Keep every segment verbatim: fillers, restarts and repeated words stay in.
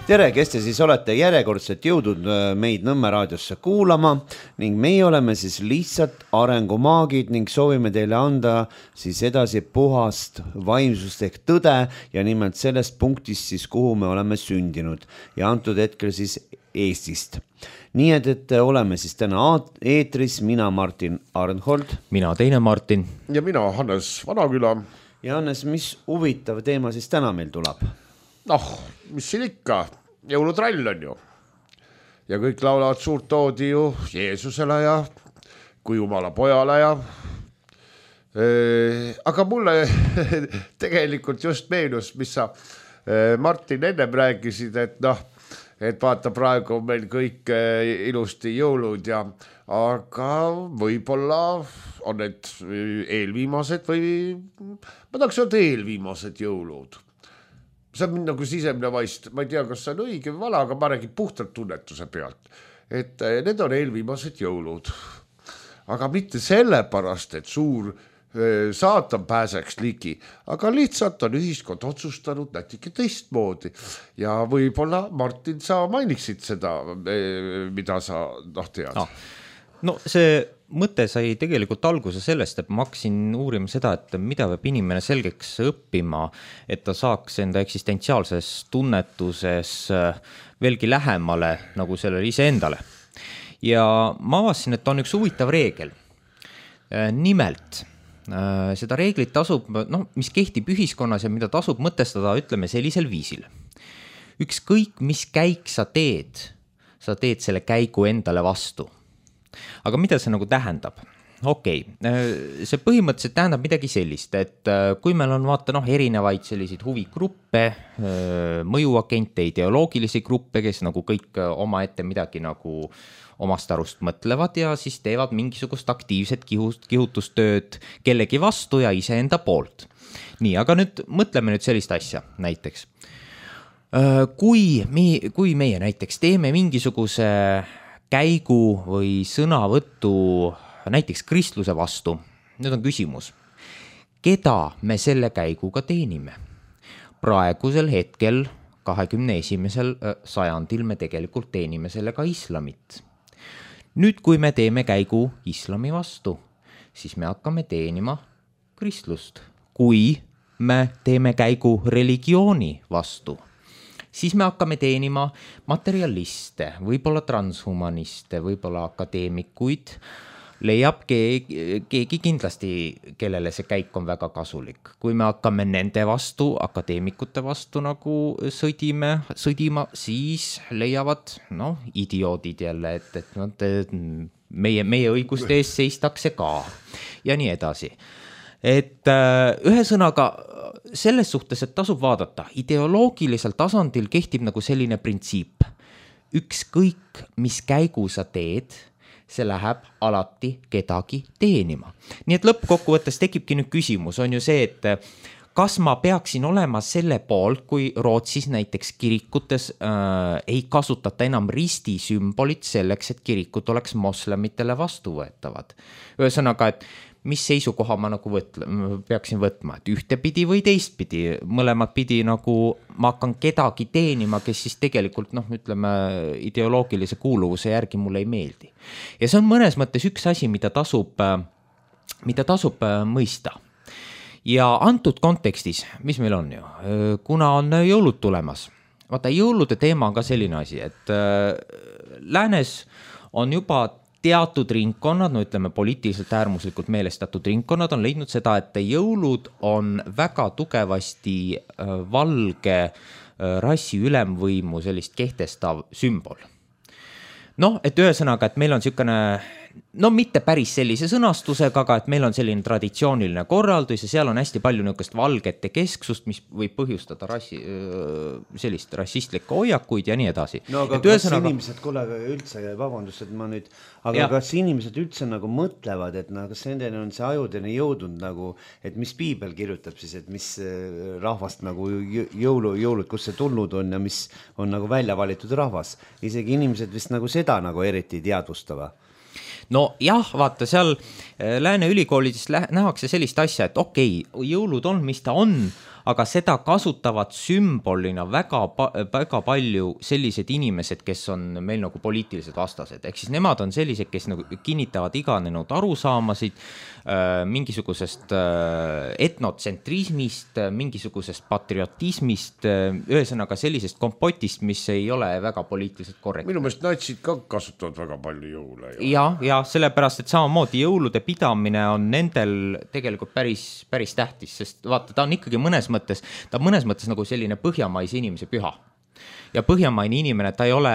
tere, kes te siis olete järjekordselt jõudnud meid Nõmme raadiosse kuulama ning meie oleme siis lihtsalt arengumaagid ning soovime teile anda siis edasi puhast vaimsust ehk tõde ja nimelt sellest punktist siis, kuhu me oleme sündinud ja antud hetkel siis Eestist. Nii et, et oleme siis täna eetris, mina Martin Arnhold. Mina teine Martin. Ja mina Hannes Vanaküla. Ja Hannes, mis huvitav teema siis täna meil tuleb? Noh, mis siin ikka, jõulutrall on ju. Ja kõik laulavad suurt oodi ju Jeesusele ja kui Jumala pojale ja e, aga mulle tegelikult just meenus, mis sa e, Martin ennem rääkisid, et noh, et vaata praegu on meil kõik ilusti jõulud ja aga võib-olla on need eelviimased või ma tahaks öelda eelviimased jõulud. See on mind nagu sisemine vaist, ma ei tea, kas see on õige või vala, aga ma räägin puhtalt tunnetuse pealt, et need on eelviimased jõulud. Aga mitte sellepärast, et suur saatan pääseks ligi, aga lihtsalt on ühiskond otsustanud natuke teistmoodi. Ja võib-olla, Martin, sa mainiksid seda, mida sa noh tead. No, no see mõte sai tegelikult alguse sellest, et ma hakkasin uurima seda, et mida peab inimene selgeks õppima, et ta saaks enda eksistentsiaalses tunnetuses veelgi lähemale nagu sellele ise endale. Ja ma avasin, et on üks huvitav reegel. Nimelt, seda reeglit tasub, no, mis kehtib ühiskonnas ja mida tasub mõtestada, ütleme sellisel viisil. Ükskõik, mis käik sa teed, sa teed selle käigu endale vastu. Aga mida see nagu tähendab? Okei, see põhimõtteliselt tähendab midagi sellist, et kui meil on vaata noh, erinevaid selliseid huvigruppe, mõjuagente, ideoloogilisi gruppe, kes nagu kõik oma ette midagi nagu omast arust mõtlevad ja siis teevad mingisugust aktiivset kihutustööd kellegi vastu ja iseenda poolt. Nii, aga nüüd mõtleme nüüd sellist asja näiteks. Kui, me, kui meie näiteks teeme mingisuguse käigu või sõnavõttu näiteks kristluse vastu, nüüd on küsimus, keda me selle käiguga teenime? Praegusel hetkel, kahekümne esimesel sajandil me tegelikult teenime sellega islamit. Nüüd, kui me teeme käigu islami vastu, siis me hakkame teenima kristlust. Kui me teeme käigu religiooni vastu, siis me hakkame teenima materialiste, võib-olla transhumaniste, võib-olla akadeemikuid, leiab keegi, keegi kindlasti, kellele see käik on väga kasulik. Kui me hakkame nende vastu, akadeemikute vastu nagu sõdime, sõdima, siis leiavad no, idioodid jälle, et, et no, meie, meie õiguste ees seistakse ka ja nii edasi. Et ühesõnaga selles suhtes, et tasub vaadata, ideoloogilisel tasandil kehtib nagu selline printsiip. Ükskõik, mis käigu sa teed, see läheb alati kedagi teenima. Nii et lõppkokkuvõttes tekibki nüüd küsimus, on ju see, et kas ma peaksin olema selle poolt, kui Rootsis näiteks kirikutes äh, ei kasutata enam risti sümbolit selleks, et kirikud oleks moslemitele vastuvõetavad. Ühesõnaga, et mis seisukoha ma nagu võtla, peaksin võtma, et ühtepidi või teistpidi, mõlemad pidi nagu ma hakkan kedagi teenima, kes siis tegelikult, noh, ütleme, ideoloogilise kuuluvuse järgi mulle ei meeldi. Ja see on mõnes mõttes üks asi, mida tasub, mida tasub mõista. Ja antud kontekstis, mis meil on ju, kuna on jõulud tulemas, vaata, jõulude teema on ka selline asi, et läänes on juba teatud ringkonnad, no ütleme poliitiliselt äärmuslikult meelestatud ringkonnad on leidnud seda, et jõulud on väga tugevasti valge rassi ülemvõimu sellist kehtestav sümbol. Noh, et ühesõnaga, et meil on siukene, no mitte päris sellise sõnastusega, aga et meil on selline traditsiooniline korraldus ja seal on hästi palju niukest valgete kesksust, mis võib põhjustada rassi, sellist rassistlikku hoiakuid ja nii edasi. No aga et kas ühesõnaga... inimesed, kuule, üldse, vabandust, et ma nüüd, aga ja. Kas inimesed üldse nagu mõtlevad, et no, kas nendeni on see ajudeni jõudnud nagu, et mis piibel kirjutab siis, et mis rahvast nagu jõulu, jõulud, kus see tulnud on ja mis on nagu välja valitud rahvas. Isegi inimesed vist nagu seda nagu eriti teadvustava. No jah, vaata, seal Lääne ülikoolides nähakse sellist asja, et okei, jõulud on, mis ta on, aga seda kasutavad sümbolina väga, väga palju sellised inimesed, kes on meil nagu poliitilised vastased, ehk siis nemad on sellised, kes nagu kinnitavad iganenud arusaamasid äh, mingisugusest äh, etnotsentrismist, mingisugusest patriotismist, äh, ühesõnaga sellisest kompotist, mis ei ole väga poliitiliselt korrektne. Minu meelest natsid ka kasutavad väga palju jõule. Ja, ja sellepärast, et samamoodi jõulude pidamine on nendel tegelikult päris, päris tähtis, sest vaata, ta on ikkagi mõnes mõttes, ta on mõnes mõttes nagu selline põhjamaise inimese püha. Ja põhjamaine inimene, ta ei ole,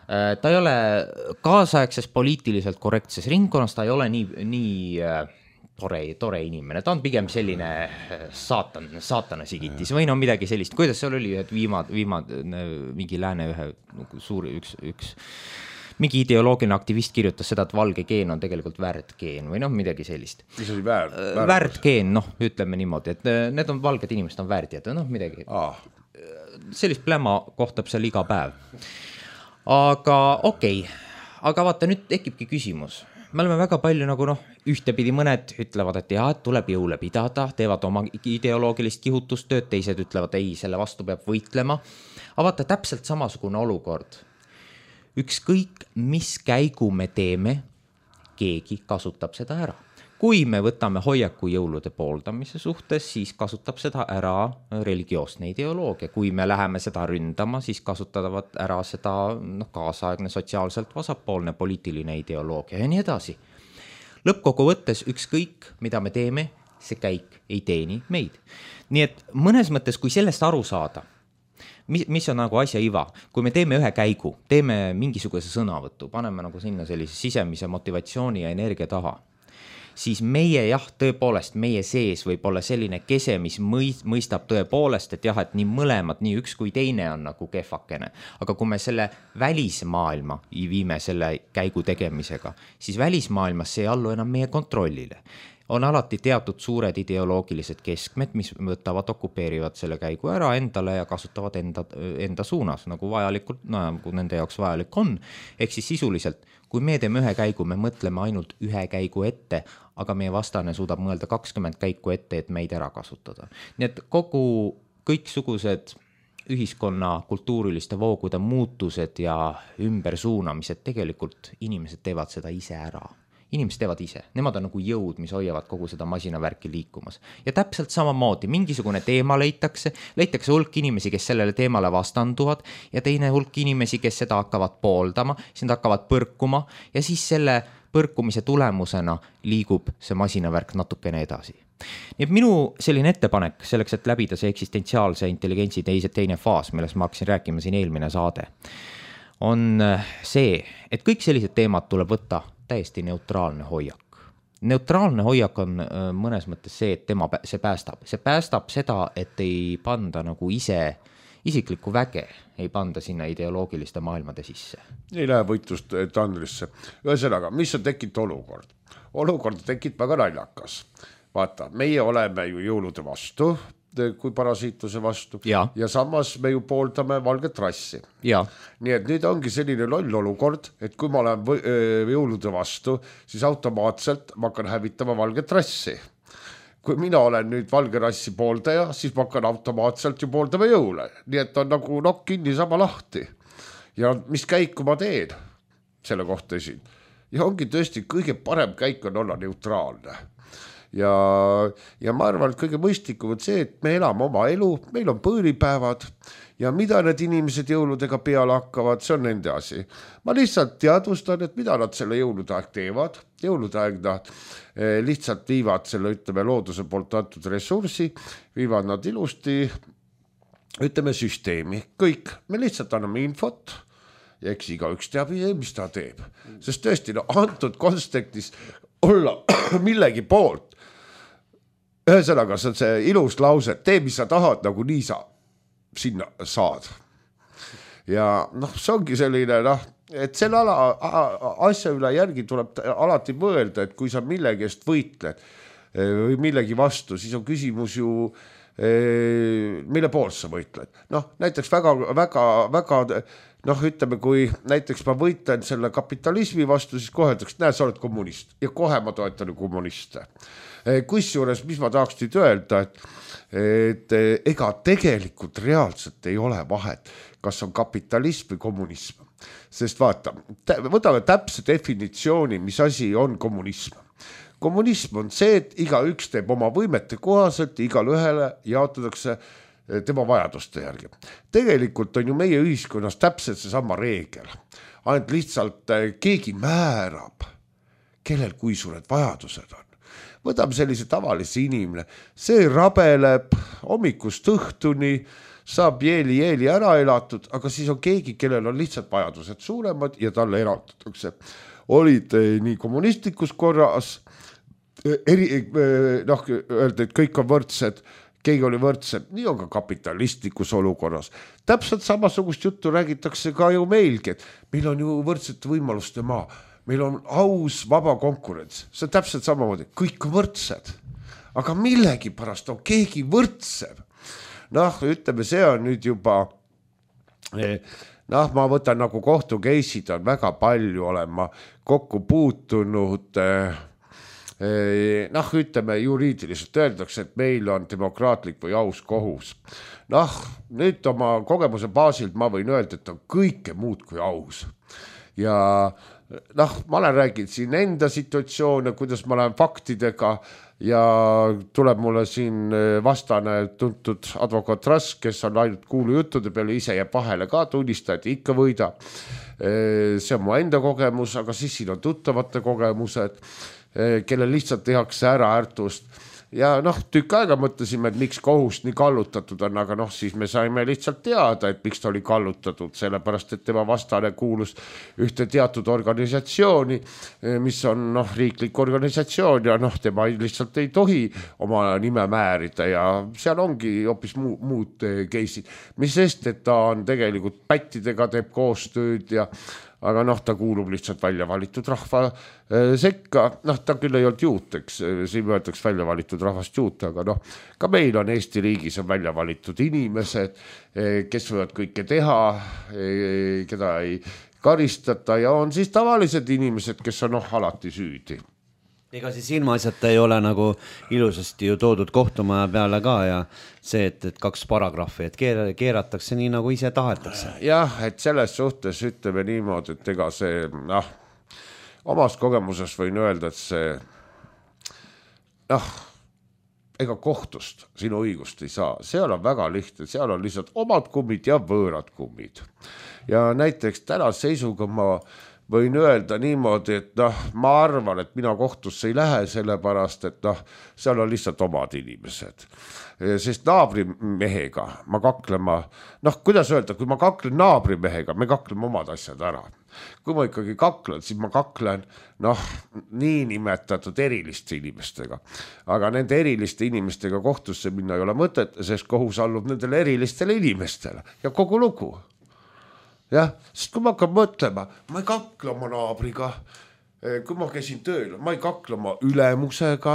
ta ei ole kaasaegses poliitiliselt korrektses ringkonnas, ta ei ole nii, nii tore, tore inimene, ta on pigem selline saatan, saatana sigitis või no midagi sellist. Kuidas seal oli, et viimad, viimad mingi lääne ühe suuri, üks, üks mingi ideoloogiline aktivist kirjutas seda, et valge geen on tegelikult värdgeen või noh, midagi sellist. Mis oli väär, värdgeen, noh, ütleme niimoodi, et need on valged inimesed, on värdjad, noh, midagi. Ah. Sellist pläma kohtab seal iga päev. Aga okei, okay. Aga vaata, nüüd tekibki küsimus. Me oleme väga palju nagu noh, ühtepidi mõned ütlevad, et jah, et tuleb jõule pidada, teevad oma ideoloogilist kihutustööd, teised ütlevad, ei, selle vastu peab võitlema. Aga vaata, täpselt samasugune olukord. Ükskõik, mis käigu me teeme, keegi kasutab seda ära. Kui me võtame hoiaku jõulude pooldamise suhtes, siis kasutab seda ära religioosne ideoloogia. Kui me läheme seda ründama, siis kasutavad ära seda noh, kaasaegne sotsiaalselt vasakpoolne poliitiline ideoloogia ja nii edasi. Lõppkogu võttes ükskõik, mida me teeme, see käik ei teeni meid. Nii et mõnes mõttes, kui sellest aru saada, mis, mis on nagu asja iva, kui me teeme ühe käigu, teeme mingisuguse sõnavõttu, paneme nagu sinna sellise sisemise motivatsiooni ja energia taha, siis meie jah, tõepoolest, meie sees võib olla selline kese, mis mõistab tõepoolest, et jah, et nii mõlemad, nii üks kui teine on nagu kehvakene. Aga kui me selle välismaailma viime selle käigu tegemisega, siis välismaailmas see ei allu enam meie kontrollile. On alati teatud suured ideoloogilised keskmed, mis võtavad, okupeerivad selle käigu ära endale ja kasutavad enda, enda suunas, nagu vajalikult, no, nagu nende jaoks vajalik on. Ehk siis sisuliselt, kui me teeme ühe käigu, me mõtleme ainult ühe käigu ette, aga meie vastane suudab mõelda kakskümmend käiku ette, et meid ära kasutada. Nii et kogu kõiksugused ühiskonna kultuuriliste voogude muutused ja ümbersuunamised, tegelikult inimesed teevad seda ise ära. Inimesed teevad ise, nemad on nagu jõud, mis hoiavad kogu seda masinavärki liikumas. Ja täpselt samamoodi, mingisugune teema leitakse, leitakse hulk inimesi, kes sellele teemale vastanduvad ja teine hulk inimesi, kes seda hakkavad pooldama, siis nad hakkavad põrkuma ja siis selle põrkumise tulemusena liigub see masinavärk natukene edasi. Nii et minu selline ettepanek selleks, et läbida see eksistentsiaalse intelligentsi teise, teine faas, millest ma hakkasin rääkima siin eelmine saade, on see, et kõik sellised teemad tuleb võtta täiesti neutraalne hoiak. Neutraalne hoiak on mõnes mõttes see, et tema, see päästab. See päästab seda, et ei panda nagu ise isiklikku väge, ei panda sinna ideoloogiliste maailmade sisse. Ei lähe võitlust tandrisse. Ühesõnaga, mis on tekkinud olukord? Olukord tekkinud väga naljakas. Vaata, meie oleme ju jõulude vastu, kui parasiitluse vastu ja. ja samas me ju pooldame valget rassi. Ja. Nii et nüüd ongi selline loll olukord, et kui ma olen või, öö, jõulude vastu, siis automaatselt ma hakkan hävitama valget rassi. Kui mina olen nüüd valge rassi pooldaja, siis ma hakkan automaatselt ju pooldama jõule. Nii et on nagu nokk kinni sama lahti. Ja mis käiku ma teen selle kohta siin? Ja ongi tõesti kõige parem käik on olla neutraalne. Ja, ja ma arvan, et kõige mõistlikum on see, et me elame oma elu, meil on põõlipäevad ja mida need inimesed jõuludega peale hakkavad, see on nende asi. Ma lihtsalt teadvustan, et mida nad selle jõulude aeg teevad. Jõulude aeg nad lihtsalt viivad selle, ütleme, looduse poolt antud ressursi, viivad nad ilusti, ütleme, süsteemi. Kõik, me lihtsalt anname infot ja eks iga üks teab, mis ta teeb. Sest tõesti, no, antud kontekstis olla millegi poolt. Ühesõnaga, see on see ilus lause, tee, mis sa tahad, nagu nii sa sinna saad. Ja noh, see ongi selline, noh, et selle ala, asja üle järgi tuleb alati mõelda, et kui sa millegi eest võitled või millegi vastu, siis on küsimus ju mille pool sa võitled. Noh, näiteks väga, väga, väga, noh, ütleme, kui näiteks ma võitlen selle kapitalismi vastu, siis kohe ütleks, näe, sa oled kommunist ja kohe ma toetan kommuniste. Kusjuures, mis ma tahaks nüüd öelda, et, et ega tegelikult reaalselt ei ole vahet, kas on kapitalism või kommunism. Sest vaata, võtame täpse definitsiooni, mis asi on kommunism. Kommunism on see, et iga üks teeb oma võimete kohaselt, igal ühele jaotatakse tema vajaduste järgi. Tegelikult on ju meie ühiskonnas täpselt see sama reegel. Ainult lihtsalt keegi määrab, kellel kui suured vajadused on. Võtame sellise tavalise inimene. See rabeleb hommikust õhtuni, saab jeeli-jeeli ära elatud, aga siis on keegi, kellel on lihtsalt vajadused suuremad ja talle eraldatakse. Olid nii kommunistlikus korras, eri, noh, öelda, et kõik on võrdsed, keegi oli võrdsed, nii on ka kapitalistlikus olukorras. Täpselt samasugust juttu räägitakse ka ju meilgi, et meil on ju võrdsete võimaluste maa, meil on aus vaba konkurents, see on täpselt samamoodi, kõik on võrdsed, aga millegi pärast on keegi võrdsem. Noh, ütleme, see on nüüd juba, noh, ma võtan nagu kohtukeisid on väga palju olema kokku puutunud, noh, ütleme, juriidiliselt öeldakse, et meil on demokraatlik või aus kohus. Noh, nüüd oma kogemuse baasilt ma võin öelda, et on kõike muud kui aus. Ja noh, ma olen rääginud siin enda situatsioone, kuidas ma lähen faktidega ja tuleb mulle siin vastane tuntud advokaat Rask, kes on ainult kuulu juttude peale, ise jääb vahele ka tunnistajad, ikka võida. See on mu enda kogemus, aga siis siin on tuttavate kogemused, kellel lihtsalt tehakse ära ärtust. Ja noh, tükk aega mõtlesime, et miks kohus nii kallutatud on, aga noh, siis me saime lihtsalt teada, et miks ta oli kallutatud, sellepärast, et tema vastane kuulus ühte teatud organisatsiooni, mis on noh, riiklik organisatsioon ja noh, tema lihtsalt ei tohi oma nime määrida ja seal ongi hoopis muu, muud keisid, mis sest, et ta on tegelikult pättidega teeb koostööd ja aga noh, ta kuulub lihtsalt välja valitud rahva sekka, noh, ta küll ei olnud juut, eks, siin võetaks välja valitud rahvast juut, aga noh, ka meil on Eesti riigis on välja valitud inimesed, kes võivad kõike teha, keda ei karistata ja on siis tavalised inimesed, kes on noh, alati süüdi. Ega siis ilmaasjata ei ole nagu ilusasti ju toodud kohtumaja peale ka ja see, et, et kaks paragrahvi, et keeratakse nii, nagu ise tahetakse. Jah, et selles suhtes ütleme niimoodi, et ega see, noh, omast kogemuses võin öelda, et see, noh, ega kohtust sinu õigust ei saa. Seal on väga lihtne, seal on lihtsalt omad kummid ja võõrad kummid. Ja näiteks täna seisuga ma võin öelda niimoodi, et noh, ma arvan, et mina kohtusse ei lähe sellepärast, et noh, seal on lihtsalt omad inimesed. Sest naabrimehega ma kaklema, noh, kuidas öelda, kui ma kaklen naabrimehega, me kakleme omad asjad ära. Kui ma ikkagi kaklen, siis ma kaklen, noh, nii nimetatud eriliste inimestega. Aga nende eriliste inimestega kohtusse minna ei ole mõtet, sest kohus allub nendele erilistele inimestele ja kogu lugu. Jah, sest kui ma hakkan mõtlema, ma ei kakle oma naabriga, kui ma käisin tööl, ma ei kakle oma ülemusega,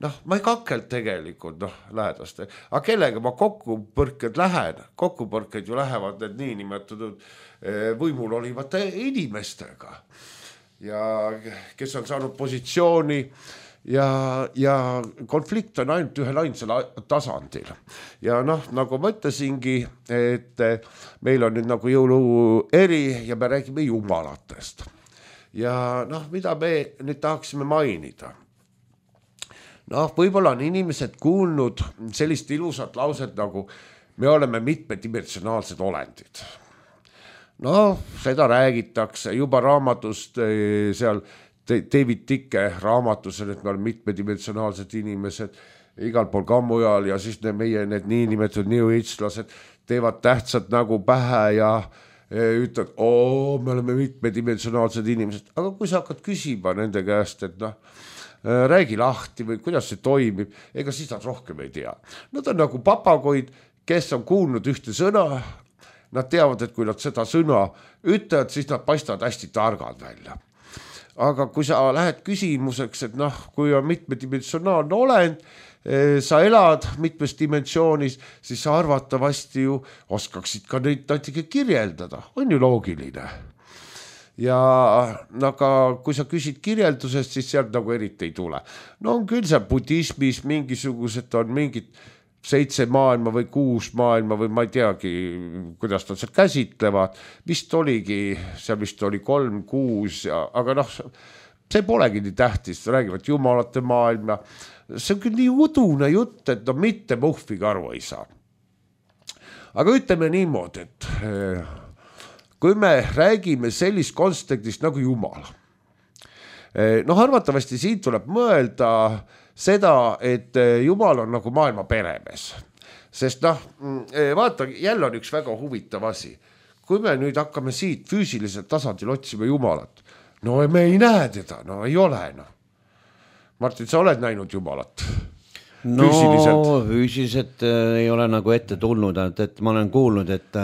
noh, ma ei kakelt tegelikult, noh, lähedaste, aga kellega ma kokkupõrked lähen, kokkupõrked ju lähevad need nii nimetatud võimul olivate inimestega ja kes on saanud positsiooni ja, ja konflikt on ainult ühel ainsal tasandil. Ja noh, nagu ma ütlesingi, et meil on nüüd nagu jõulu eri ja me räägime jumalatest. Ja noh, mida me nüüd tahaksime mainida? Noh, võib-olla on inimesed kuulnud sellist ilusat lauset nagu me oleme mitmedimensionaalsed olendid. No, seda räägitakse juba raamatust seal David Ticke raamatusel, et me oleme mitmedimensionaalsed inimesed igal pool ka mujal ja siis ne, meie need niinimetatud new age'lased teevad tähtsad nagu pähe ja ütlevad, oo, me oleme mitmedimensionaalsed inimesed, aga kui sa hakkad küsima nende käest, et noh, räägi lahti või kuidas see toimib, ega siis nad rohkem ei tea. Nad on nagu papagoid, kes on kuulnud ühte sõna, nad teavad, et kui nad seda sõna ütlevad, siis nad paistavad hästi targad välja. Aga kui sa lähed küsimuseks, et noh, kui on mitmedimensionaalne olend, sa elad mitmes dimensioonis, siis sa arvatavasti ju oskaksid ka neid natuke kirjeldada, on ju loogiline. Ja aga kui sa küsid kirjeldusest, siis sealt nagu eriti ei tule. No on küll see budismis mingisugused on mingid seitse maailma või kuus maailma või ma ei teagi, kuidas nad seal käsitlevad. Vist oligi, seal vist oli kolm, kuus, ja, aga noh, see polegi nii tähtis, räägivad jumalate maailma. See on küll nii udune jutt, et no mitte muhviga aru ei saa. Aga ütleme niimoodi, et kui me räägime sellist kontekstist nagu Jumal, noh arvatavasti siin tuleb mõelda seda, et Jumal on nagu maailma peremees. Sest noh, vaata, jälle on üks väga huvitav asi. Kui me nüüd hakkame siit füüsiliselt tasandil otsima Jumalat, no me ei näe teda, no ei ole. No. Martin, sa oled näinud Jumalat? No füüsiliselt, füüsiliselt äh, ei ole nagu ette tulnud, et, et ma olen kuulnud, et,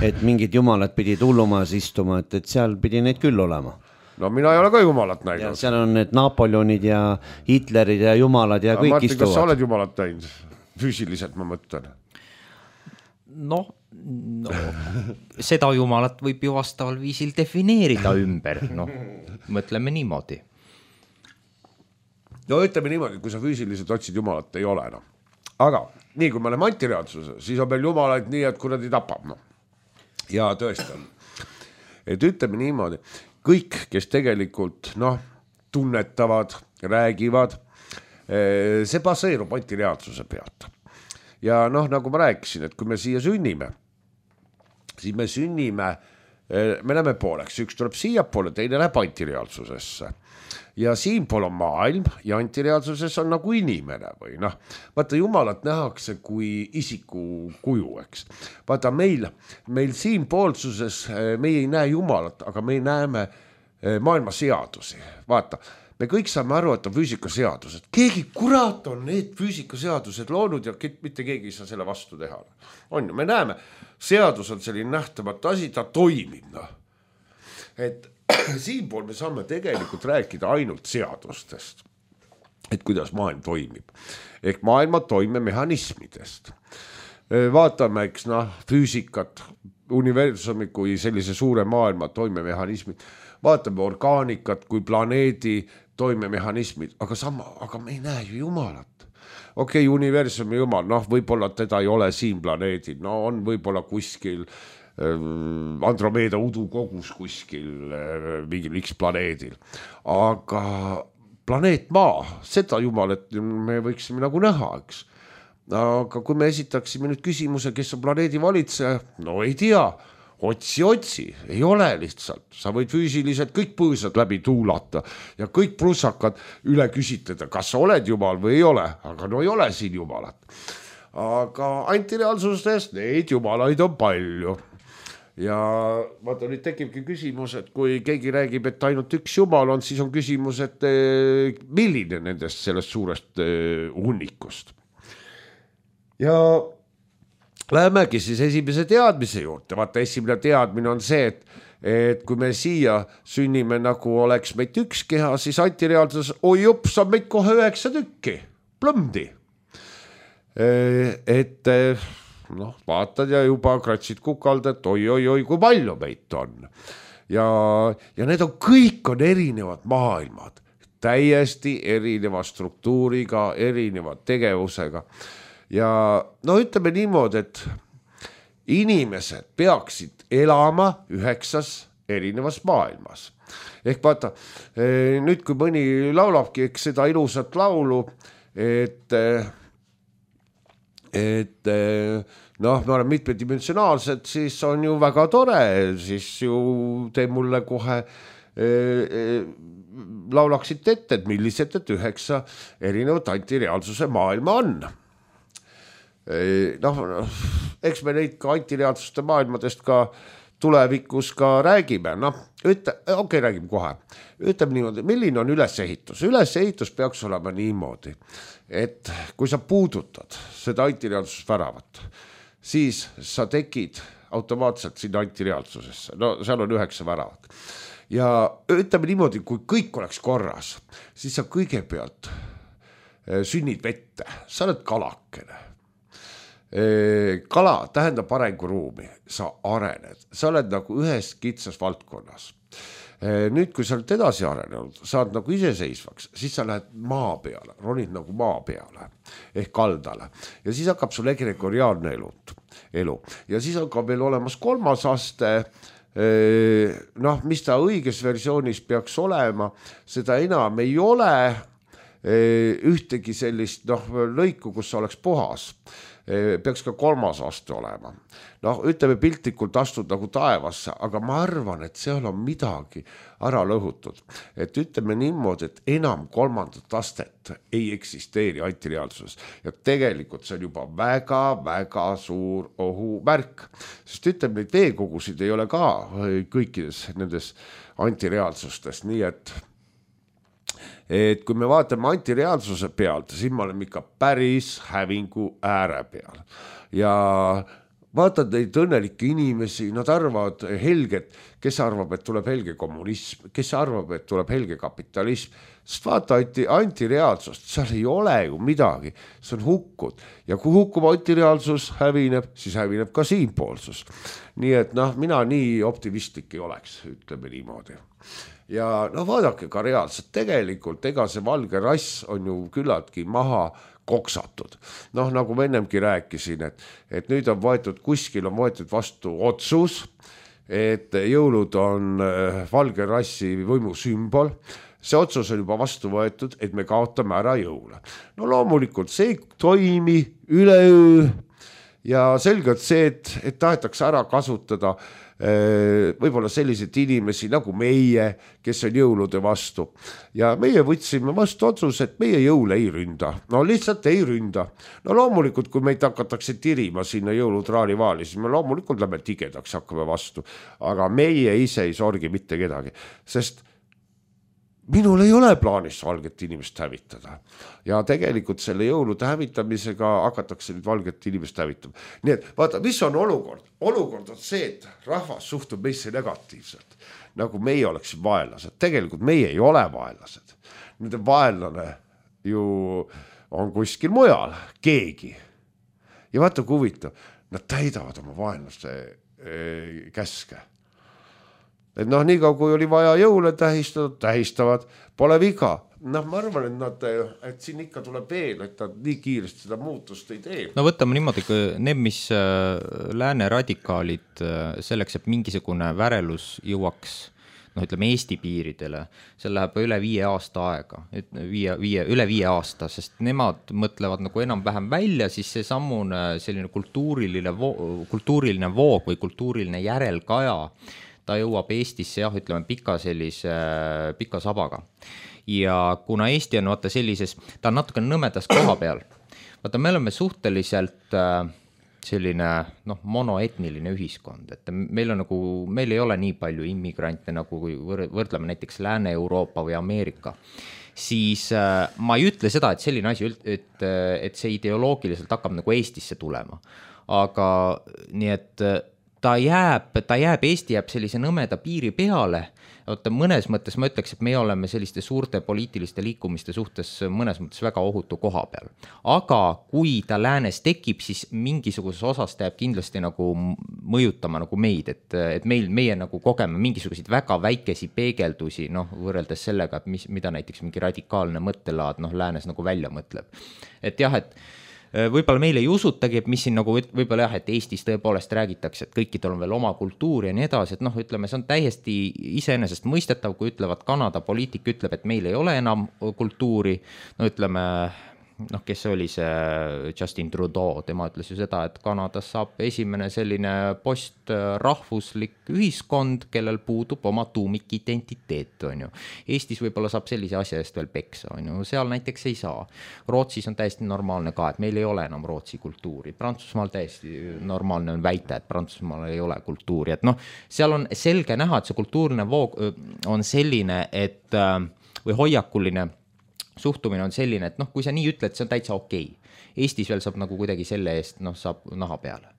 et mingid jumalad pidid hullumajas istuma, et, et seal pidi neid küll olema. No mina ei ole ka Jumalat näinud. Ja seal on need Napoleonid ja Hitlerid ja Jumalad ja, ja kõik Martin, istuvad. Kas sa oled Jumalat näinud? Füüsiliselt ma mõtlen. No, no seda Jumalat võib ju vastaval viisil defineerida ümber. No, mõtleme niimoodi. No ütleme niimoodi, kui sa füüsiliselt otsid Jumalat, ei ole. No. Aga nii, kui me oleme antireaalsuse, siis on meil Jumalaid nii, et kui nad ei tapab. No. Ja tõesti on. Et ütleme niimoodi, kõik, kes tegelikult noh, tunnetavad, räägivad, see baseerub antireaalsuse pealt. Ja noh, nagu ma rääkisin, et kui me siia sünnime, siis me sünnime, me näeme pooleks, üks tuleb siia poole, teine läheb antireaalsusesse. Ja siinpool on maailm ja antireaalsuses on nagu inimene või noh, vaata Jumalat nähakse kui isiku kuju, eks. Vaata meil, meil siinpoolsuses me ei näe Jumalat, aga me näeme maailma seadusi. Vaata, me kõik saame aru, et on füüsikaseadused. Keegi kurat on need füüsikaseadused loonud ja mitte keegi ei saa selle vastu teha. On ju, me näeme, seadus on selline nähtamatu asi, ta toimib. No. Et siinpool me saame tegelikult rääkida ainult seadustest, et kuidas maailm toimib. Ehk maailma toimemehhanismidest. Vaatame, eks noh, füüsikat, universumi kui sellise suure maailma toimemehhanismid. Vaatame orgaanikat kui planeedi toimemehhanismid, aga sama, aga me ei näe ju Jumalat. Okei, okay, universumi Jumal, noh, võib-olla teda ei ole siin planeedil, no on võib-olla kuskil Andromeeda udukogus kuskil mingil X planeedil. Aga planeet Maa, seda Jumalat me võiksime nagu näha, eks. Aga kui me esitaksime nüüd küsimuse, kes on planeedi valitseja, no ei tea, otsi, otsi, ei ole lihtsalt. Sa võid füüsiliselt kõik põõsad läbi tuulata ja kõik prussakad üle küsitleda, kas sa oled Jumal või ei ole, aga no ei ole siin Jumalat. Aga antireaalsustes neid Jumalaid on palju. Ja vaata, nüüd tekibki küsimus, et kui keegi räägib, et ainult üks Jumal on, siis on küsimus, et milline nendest sellest suurest hunnikust. Ja lähemegi siis esimese teadmise juurde. Vaata, esimene teadmine on see, et, et kui me siia sünnime nagu oleks meid üks keha, siis antireaalsus, oi jups, on meid kohe üheksa tükki, plõmdi. Et noh, vaatad ja juba kratsid kukalda, et oi, oi, oi, kui palju meid on. Ja, ja need on, kõik on erinevad maailmad, täiesti erineva struktuuriga, erineva tegevusega. Ja no ütleme niimoodi, et inimesed peaksid elama üheksas erinevas maailmas. Ehk vaata, nüüd kui mõni laulabki eks seda ilusat laulu, et et noh, me oleme mitmedimensionaalsed, siis on ju väga tore, siis ju te mulle kohe e, e, laulaksid ette, et millised et üheksa erinevat antireaalsuse maailma on. E, noh, eks me neid ka antireaalsuste maailmadest ka tulevikus ka räägime, noh, ütle, okei, okay, räägime kohe. Ütleme niimoodi, milline on ülesehitus? Ülesehitus peaks olema niimoodi, et kui sa puudutad seda antireaalsust väravat, siis sa tekid automaatselt sinna antireaalsusesse. No seal on üheksa väravat. Ja ütleme niimoodi, kui kõik oleks korras, siis sa kõigepealt sünnid vette, sa oled kalakene. Kala tähendab arenguruumi, sa arened, sa oled nagu ühes kitsas valdkonnas. Nüüd, kui sa oled edasi arenenud, saad nagu iseseisvaks, siis sa lähed maa peale, ronid nagu maa peale ehk kaldale ja siis hakkab sul egregoriaalne elu, elu. Ja siis on ka veel olemas kolmas aste, noh, mis ta õiges versioonis peaks olema, seda enam ei ole ühtegi sellist noh, lõiku, kus sa oleks puhas. Peaks ka kolmas aste olema. Noh, ütleme piltlikult astud nagu taevasse, aga ma arvan, et seal on midagi ära lõhutud. Et ütleme niimoodi, et enam kolmandat astet ei eksisteeri antireaalsuses. Ja tegelikult see on juba väga, väga suur ohumärk. Sest ütleme, neid veekogusid ei ole ka kõikides nendes antireaalsustes, nii et et kui me vaatame antireaalsuse pealt, siis me oleme ikka päris hävingu ääre peal. Ja vaatad neid õnnelikke inimesi, nad arvavad helget, kes arvab, et tuleb helge kommunism, kes arvab, et tuleb helge kapitalism. Sest vaata antireaalsust, seal ei ole ju midagi, see on hukkud. Ja kui hukkub antireaalsus hävineb, siis hävineb ka siinpoolsus. Nii et noh, mina nii optimistlik ei oleks, ütleme niimoodi. Ja no vaadake ka reaalselt, tegelikult ega see valge rass on ju küllaltki maha koksatud. Noh, nagu ma ennemgi rääkisin, et, et nüüd on võetud, kuskil on võetud vastu otsus, et jõulud on valge rassi võimu sümbol. See otsus on juba vastu võetud, et me kaotame ära jõule. No loomulikult see ei toimi üleöö ja selgelt see, et, et tahetakse ära kasutada võib-olla selliseid inimesi nagu meie, kes on jõulude vastu. Ja meie võtsime vastu otsus, et meie jõule ei ründa. No lihtsalt ei ründa. No loomulikult, kui meid hakatakse tirima sinna jõulutraali vaali, siis me loomulikult lähme tigedaks, hakkame vastu. Aga meie ise ei sorgi mitte kedagi, sest minul ei ole plaanis valget inimest hävitada. Ja tegelikult selle jõulude hävitamisega hakatakse nüüd valget inimest hävitama. Nii et vaata, mis on olukord? Olukord on see, et rahvas suhtub meisse negatiivselt. Nagu meie oleks vaenlased. Tegelikult meie ei ole vaenlased. Nende vaenlane ju on kuskil mujal, keegi. Ja vaata, kui huvitav, nad täidavad oma vaenlaste käske. Et noh, nii kaua kui oli vaja jõule tähistada, tähistavad, pole viga. Noh, ma arvan, et, nad, et siin ikka tuleb veel, et nad nii kiiresti seda muutust ei tee. No võtame niimoodi, need, mis lääne radikaalid selleks, et mingisugune värelus jõuaks, noh, ütleme Eesti piiridele, see läheb üle viie aasta aega, viie, viie, üle viie aasta, sest nemad mõtlevad nagu enam-vähem välja, siis see sammune selline kultuuriline, vo- kultuuriline voog või kultuuriline järelkaja, ta jõuab Eestisse, jah, ütleme pika sellise pika sabaga. Ja kuna Eesti on vaata sellises, ta on natuke nõmedas koha peal. Vaata, me oleme suhteliselt selline noh, monoetniline ühiskond, et meil on nagu, meil ei ole nii palju immigrante, nagu kui võrdleme näiteks Lääne-Euroopa või Ameerika. Siis ma ei ütle seda, et selline asi, et, et see ideoloogiliselt hakkab nagu Eestisse tulema. Aga nii et ta jääb, ta jääb, Eesti jääb sellise nõmeda piiri peale. Oota, mõnes mõttes ma ütleks, et me oleme selliste suurte poliitiliste liikumiste suhtes mõnes mõttes väga ohutu koha peal. Aga kui ta läänes tekib, siis mingisuguses osas ta jääb kindlasti nagu mõjutama nagu meid, et, et meil, meie nagu kogeme mingisuguseid väga väikesi peegeldusi, noh, võrreldes sellega, et mis, mida näiteks mingi radikaalne mõttelaad, noh, läänes nagu välja mõtleb. Et jah, et võib-olla meil ei usutagi, et mis siin nagu võib-olla jah, et Eestis tõepoolest räägitakse, et kõikidel on veel oma kultuur ja nii edasi, et noh, ütleme, see on täiesti iseenesest mõistetav, kui ütlevad Kanada poliitik ütleb, et meil ei ole enam kultuuri, no ütleme, noh, kes oli see Justin Trudeau, tema ütles ju seda, et Kanadas saab esimene selline postrahvuslik ühiskond, kellel puudub oma tuumikidentiteet, on ju. Eestis võib-olla saab sellise asja eest veel peksa, on ju, seal näiteks ei saa. Rootsis on täiesti normaalne ka, et meil ei ole enam Rootsi kultuuri. Prantsusmaal täiesti normaalne on väita, et Prantsusmaal ei ole kultuuri, et noh, seal on selge näha, et see kultuurne voog on selline, et või hoiakuline suhtumine on selline, et noh, kui sa nii ütled, see on täitsa okei. Eestis veel saab nagu kuidagi selle eest, noh, saab naha peale.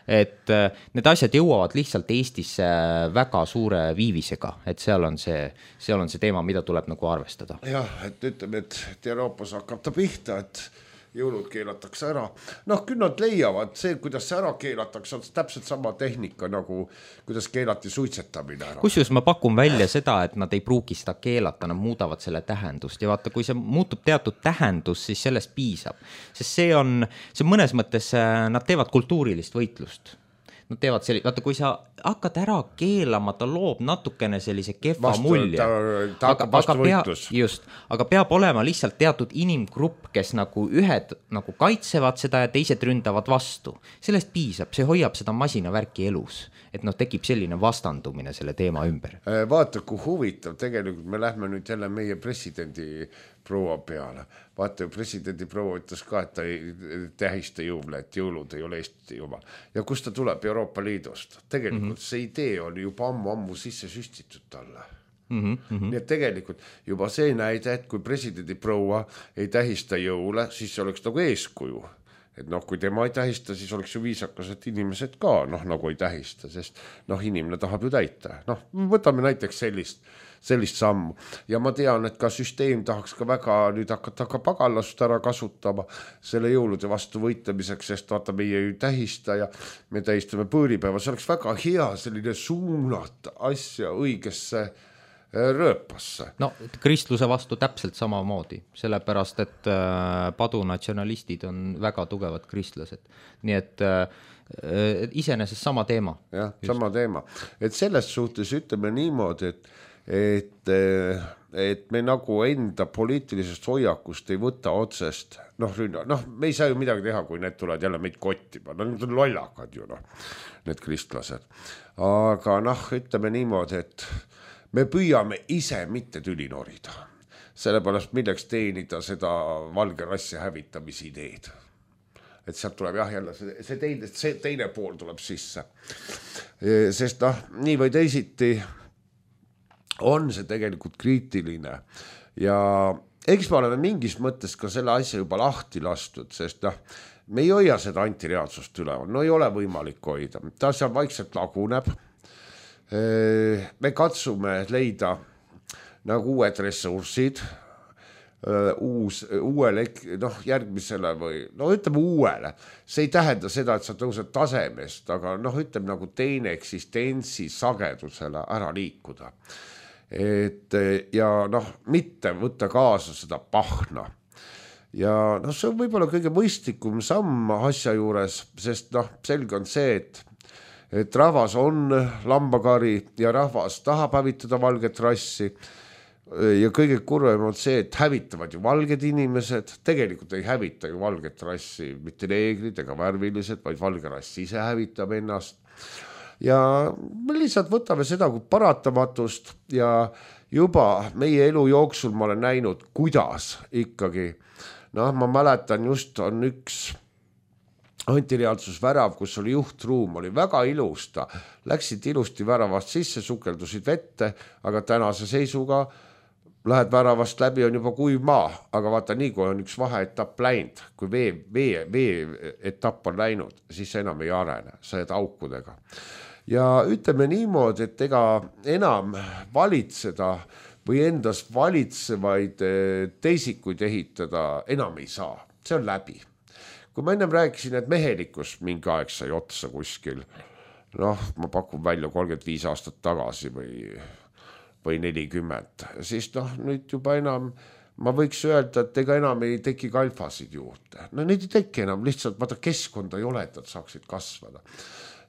et need asjad jõuavad lihtsalt Eestisse väga suure viivisega, et seal on see, seal on see teema, mida tuleb nagu arvestada. Jah, et ütleme, et, et Euroopas hakkab ta pihta, et jõulud keelatakse ära. Noh, küll nad leiavad, see, kuidas see ära keelatakse, on täpselt sama tehnika, nagu kuidas keelati suitsetamine ära. Kusjuures ma pakun välja seda, et nad ei pruugi seda keelata, nad muudavad selle tähendust ja vaata, kui see muutub teatud tähendus, siis sellest piisab. Sest see on, see mõnes mõttes, nad teevad kultuurilist võitlust. Nad teevad selli, vaata, kui sa hakkad ära keelama, ta loob natukene sellise kehva vastu, mulje. Ta, ta aga, vastu aga võitlus. Pea, just, aga peab olema lihtsalt teatud inimgrupp, kes nagu ühed nagu kaitsevad seda ja teised ründavad vastu. Sellest piisab, see hoiab seda masinavärki elus, et noh, tekib selline vastandumine selle teema ümber. Vaata, kui huvitav, tegelikult me lähme nüüd jälle meie presidendi proua peale. Vaata, presidendi proua ütles ka, et ta ei tähista jõule, et jõulud ei ole Eesti juba. Ja kus ta tuleb Euroopa Liidust? Tegelikult mm -hmm. see idee oli juba ammu-ammu sisse süstitud talle. Mm -hmm. Nii et tegelikult juba see näide, et kui presidendi proua ei tähista jõule, siis see oleks nagu eeskuju. Et noh, kui tema ei tähista, siis oleks ju viisakas, et inimesed ka noh, nagu ei tähista, sest noh, inimene tahab ju täita. Noh, võtame näiteks sellist, sellist sammu. Ja ma tean, et ka süsteem tahaks ka väga nüüd hakata ka pagalast ära kasutama selle jõulude vastu võitlemiseks, sest vaata, meie ju tähista ja me tähistame põõripäeva. See oleks väga hea selline suunata asja õigesse rööpasse. No kristluse vastu täpselt samamoodi, sellepärast, et äh, padunatsionalistid on väga tugevad kristlased. Nii et äh, iseenesest sama teema. Jah, just. Sama teema. Et selles suhtes ütleme niimoodi, et, et, et me nagu enda poliitilisest hoiakust ei võta otsest. Noh, noh, me ei saa ju midagi teha, kui need tulevad jälle meid kottima. No, need on lollakad ju, noh, need kristlased. Aga noh, ütleme niimoodi, et me püüame ise mitte tüli norida, sellepärast milleks teenida seda valge rassi hävitamise ideed. Et sealt tuleb jah jälle, see, see, teine, see teine pool tuleb sisse. Sest noh, nii või teisiti on see tegelikult kriitiline ja eks me oleme mingis mõttes ka selle asja juba lahti lastud, sest noh, me ei hoia seda antireaalsust üleval, no ei ole võimalik hoida, ta seal vaikselt laguneb. Me katsume leida nagu uued ressursid, uus, uuele, noh, järgmisele või, no ütleme uuele. See ei tähenda seda, et sa tõused tasemest, aga noh, ütleme nagu teine eksistentsi sagedusele ära liikuda. Et, ja noh, mitte võtta kaasa seda pahna. Ja noh, see on võib-olla kõige mõistlikum samm asja juures, sest noh, selge on see, et et rahvas on lambakari ja rahvas tahab hävitada valget rassi ja kõige kurvem on see, et hävitavad ju valged inimesed, tegelikult ei hävita ju valget rassi mitte neegrid ega värvilised, vaid valge rass ise hävitab ennast ja me lihtsalt võtame seda kui paratamatust ja juba meie elu jooksul ma olen näinud, kuidas ikkagi, noh, ma mäletan just on üks antireaalsusvärav, kus oli juhtruum, oli väga ilusta, läksid ilusti väravast sisse, sukeldusid vette, aga tänase seisuga lähed väravast läbi, on juba kuiv maa, aga vaata nii, kui on üks vaheetapp läinud, kui vee, vee, vee etapp on läinud, siis enam ei arene, sa jääd aukudega. Ja ütleme niimoodi, et ega enam valitseda või endas valitsevaid teisikuid ehitada enam ei saa, see on läbi. Kui ma ennem rääkisin, et mehelikkus mingi aeg sai otsa kuskil, noh, ma pakun välja kolmkümmend viis aastat tagasi või, või nelikümmend, siis noh, nüüd juba enam, ma võiks öelda, et ega enam ei teki kalfasid juurde. No neid ei teki enam, lihtsalt vaata keskkonda ei ole, et nad saaksid kasvada.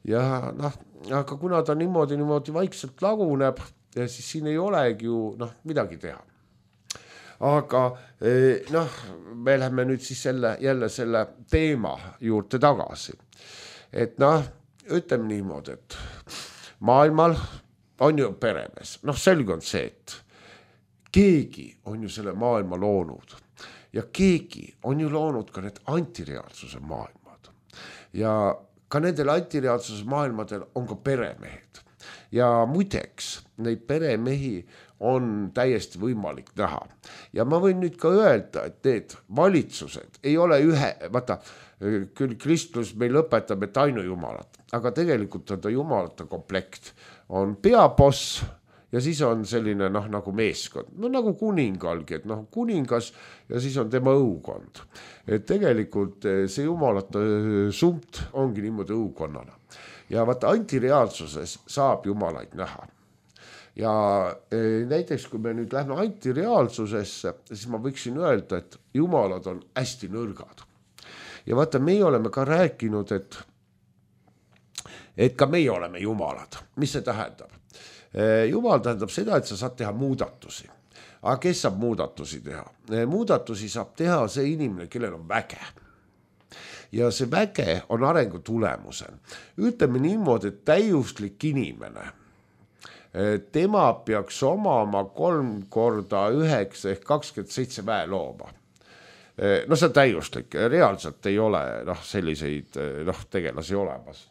Ja noh, aga kuna ta niimoodi, niimoodi vaikselt laguneb, ja siis siin ei olegi ju noh, midagi teha. Aga noh, me läheme nüüd siis selle, jälle selle teema juurde tagasi. Et noh, ütleme niimoodi, et maailmal on ju peremees. Noh, selge on see, et keegi on ju selle maailma loonud ja keegi on ju loonud ka need antireaalsuse maailmad. Ja ka nendel antireaalsuse maailmadel on ka peremehed ja muideks neid peremehi on täiesti võimalik näha. Ja ma võin nüüd ka öelda, et need valitsused ei ole ühe, vaata, küll kristlus meil õpetab, et ainu jumalat, aga tegelikult on ta jumalate komplekt. On peaboss ja siis on selline noh, nagu meeskond, no nagu kuningalgi, et noh, kuningas ja siis on tema õukond. Et tegelikult see jumalate sumt ongi niimoodi õukonnana. Ja vaata, antireaalsuses saab jumalaid näha. Ja näiteks, kui me nüüd lähme antireaalsusesse, siis ma võiksin öelda, et jumalad on hästi nõrgad. Ja vaata, meie oleme ka rääkinud, et, et ka meie oleme jumalad. Mis see tähendab? Jumal tähendab seda, et sa saad teha muudatusi. Aga kes saab muudatusi teha? Muudatusi saab teha see inimene, kellel on väge. Ja see väge on arengu tulemusel. Ütleme niimoodi, et täiuslik inimene, tema peaks omama kolm korda üheksa ehk kakskümmend seitse väelooma. No see on täiuslik, reaalselt ei ole noh, selliseid noh, tegelasi olemas.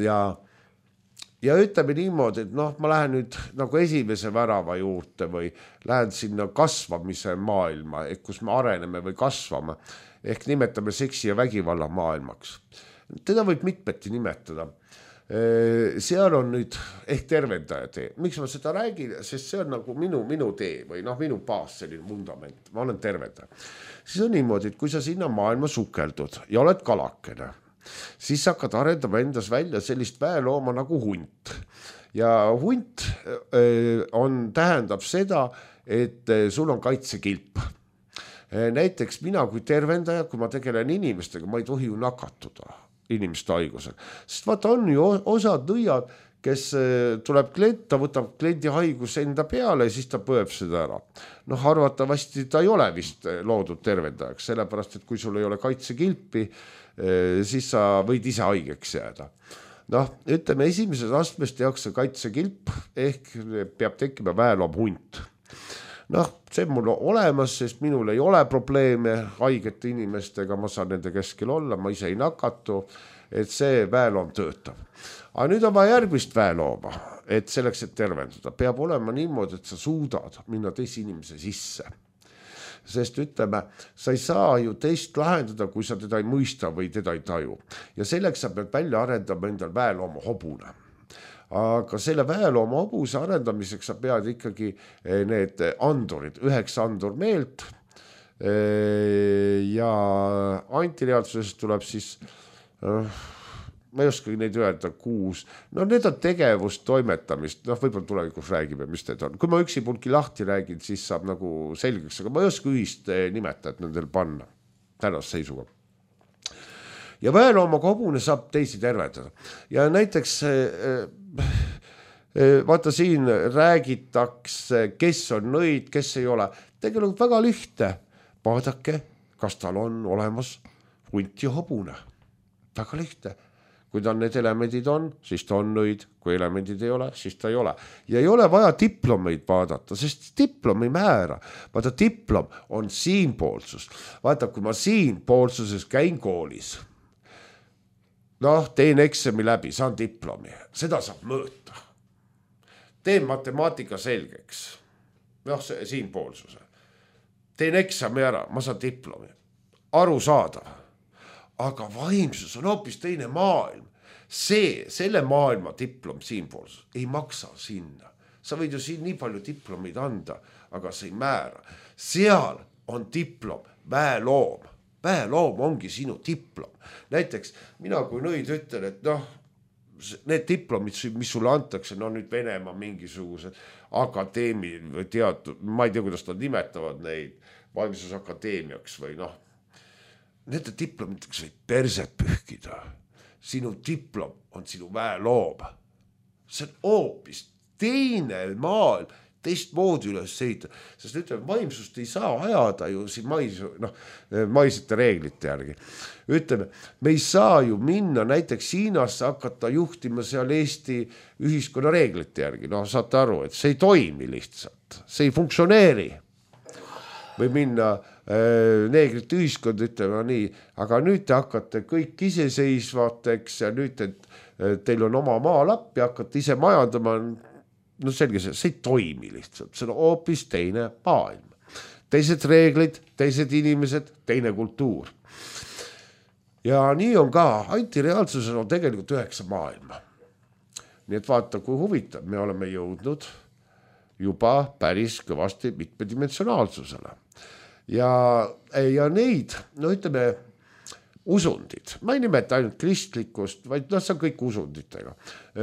Ja, ja ütleme niimoodi, et noh, ma lähen nüüd nagu esimese värava juurde või lähen sinna kasvamise maailma, et kus me areneme või kasvame, ehk nimetame seksi ja vägivalla maailmaks. Teda võib mitmeti nimetada. Seal on nüüd ehk tervendaja tee. Miks ma seda räägin? Sest see on nagu minu, minu tee või noh, minu baas, selline fundament. Ma olen tervendaja. Siis on niimoodi, et kui sa sinna maailma sukeldud ja oled kalakene, siis hakkad arendama endas välja sellist väelooma nagu hunt. Ja hunt on, tähendab seda, et sul on kaitsekilp. Näiteks mina kui tervendaja, kui ma tegelen inimestega, ma ei tohi ju nakatuda inimeste haigusel. Sest vaata, on ju osad nõiad, kes tuleb klient, ta võtab kliendi haigus enda peale ja siis ta põeb seda ära. Noh, arvatavasti ta ei ole vist loodud tervendajaks, sellepärast, et kui sul ei ole kaitsekilpi, siis sa võid ise haigeks jääda. Noh, ütleme, esimeses astmes tehakse kaitsekilp ehk peab tekkima väeloom hunt. Noh, see mul olemas, sest minul ei ole probleeme haigete inimestega, ma saan nende keskel olla, ma ise ei nakatu, et see väeloom töötab. Aga nüüd on vaja järgmist väelooma, et selleks, et tervenduda, peab olema niimoodi, et sa suudad minna teise inimese sisse. Sest ütleme, sa ei saa ju teist lahendada, kui sa teda ei mõista või teda ei taju. Ja selleks sa pead välja arendama endal väelooma hobune. Aga selle väelooma hobuse arendamiseks sa pead ikkagi need andurid, üheks andur meelt ja antireaalsusest tuleb siis, ma ei oska neid öelda, kuus. No need on tegevust, toimetamist, noh võib-olla tulevikus räägime, mis need on. Kui ma üksi pulki lahti räägin, siis saab nagu selgeks, aga ma ei oska ühist nimetajat nendel panna tänast seisuga. Ja väelooma hobune saab teisi tervendada. Ja näiteks vaata siin räägitakse, kes on nõid, kes ei ole. Tegelikult väga lihtne. Vaadake, kas tal on olemas hunt ja hobune. Väga lihtne. Kui ta need elemendid on, siis ta on nõid. Kui elemendid ei ole, siis ta ei ole. Ja ei ole vaja diplomeid vaadata, sest diplom ei määra. Vaata, diplom on siinpoolsus. Vaata, kui ma siinpoolsuses käin koolis, noh, teen eksami läbi, saan diplomi. Seda saab mõõta. Teen matemaatika selgeks. Noh, see siinpoolsuse. Teen eksami ära, ma saan diplomi. Aru saadav. Aga vaimsus on hoopis teine maailm. See, selle maailma diplom siinpoolsus ei maksa sinna. Sa võid ju siin nii palju diplomeid anda, aga see ei määra. Seal on diplom, väeloom. Väeloom ongi sinu diplom. Näiteks mina kui nõid ütlen, et noh, need diplomid, mis sulle antakse, no nüüd Venemaa mingisugused akadeemi või teatud, ma ei tea, kuidas nad nimetavad neid vaimsusakadeemiaks või noh, nende diplomideks võid perset pühkida. Sinu diplom on sinu väeloom. See on hoopis teine maailm, teistmoodi üles seita, sest ütleme, vaimsust ei saa ajada ju siin mais, noh, maisete reeglite järgi. Ütleme, me ei saa ju minna näiteks Hiinasse hakata juhtima seal Eesti ühiskonna reeglite järgi. No saate aru, et see ei toimi lihtsalt, see ei funktsioneeri. Või minna neegrite ühiskond, ütleme nii, aga nüüd te hakkate kõik iseseisvateks ja nüüd te, teil on oma maalapp ja hakkate ise majandama, no selge see, see ei toimi lihtsalt, see on hoopis teine maailm. Teised reeglid, teised inimesed, teine kultuur. Ja nii on ka, antireaalsusel on tegelikult üheksa maailma. Nii et vaata, kui huvitav, me oleme jõudnud juba päris kõvasti mitmedimensionaalsusele. Ja, ja neid, no ütleme, usundid, ma ei nimeta ainult kristlikkust, vaid no see on kõik usunditega.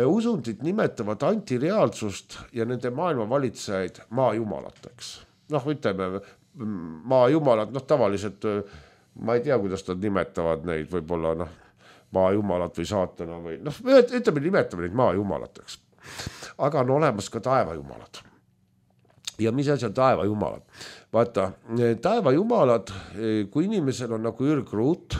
Usundid nimetavad antireaalsust ja nende maailma valitsejaid maajumalateks. Noh, ütleme, maajumalad, noh tavaliselt, ma ei tea, kuidas nad nimetavad neid, võib-olla noh, maajumalat või saatana või noh, ütleme, nimetame neid maajumalateks. Aga on olemas ka taevajumalad. Ja mis asi on taevajumalad? Vaata, taevajumalad, kui inimesel on nagu ürgruut,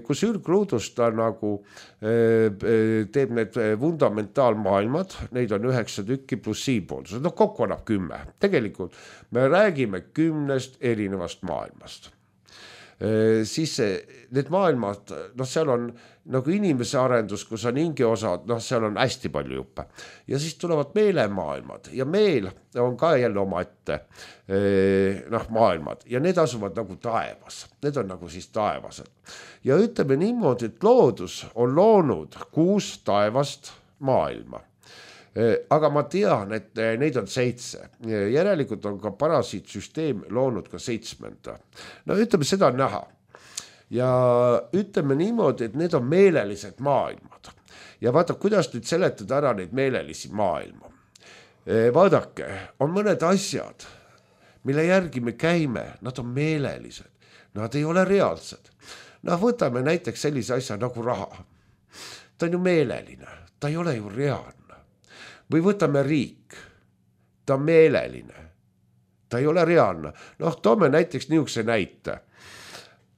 kus ürgruudust ta nagu teeb need fundamentaalmaailmad, neid on üheksa tükki pluss siipoolsused, no kokku annab kümme. Tegelikult me räägime kümnest erinevast maailmast. Siis need maailmad, noh seal on nagu inimese arendus, kus on hinge osad, noh seal on hästi palju juppe. Ja siis tulevad meelemaailmad ja meel on ka jälle oma ette noh, maailmad ja need asuvad nagu taevas. Need on nagu siis taevased. Ja ütleme niimoodi, et loodus on loonud kuus taevast maailma. Aga ma tean, et neid on seitse. Järelikult on ka parasiitsüsteem loonud ka seitsmenda. No ütleme, seda on näha. Ja ütleme niimoodi, et need on meelelised maailmad. Ja vaata, kuidas nüüd seletada ära neid meelelisi maailma. Vaadake, on mõned asjad, mille järgi me käime, nad on meelelised. Nad ei ole reaalsed. No võtame näiteks sellise asja nagu raha. Ta on ju meeleline, ta ei ole ju reaalne. Või võtame riik, ta on meeleline, ta ei ole reaalne. Noh, toome näiteks niisuguse näite.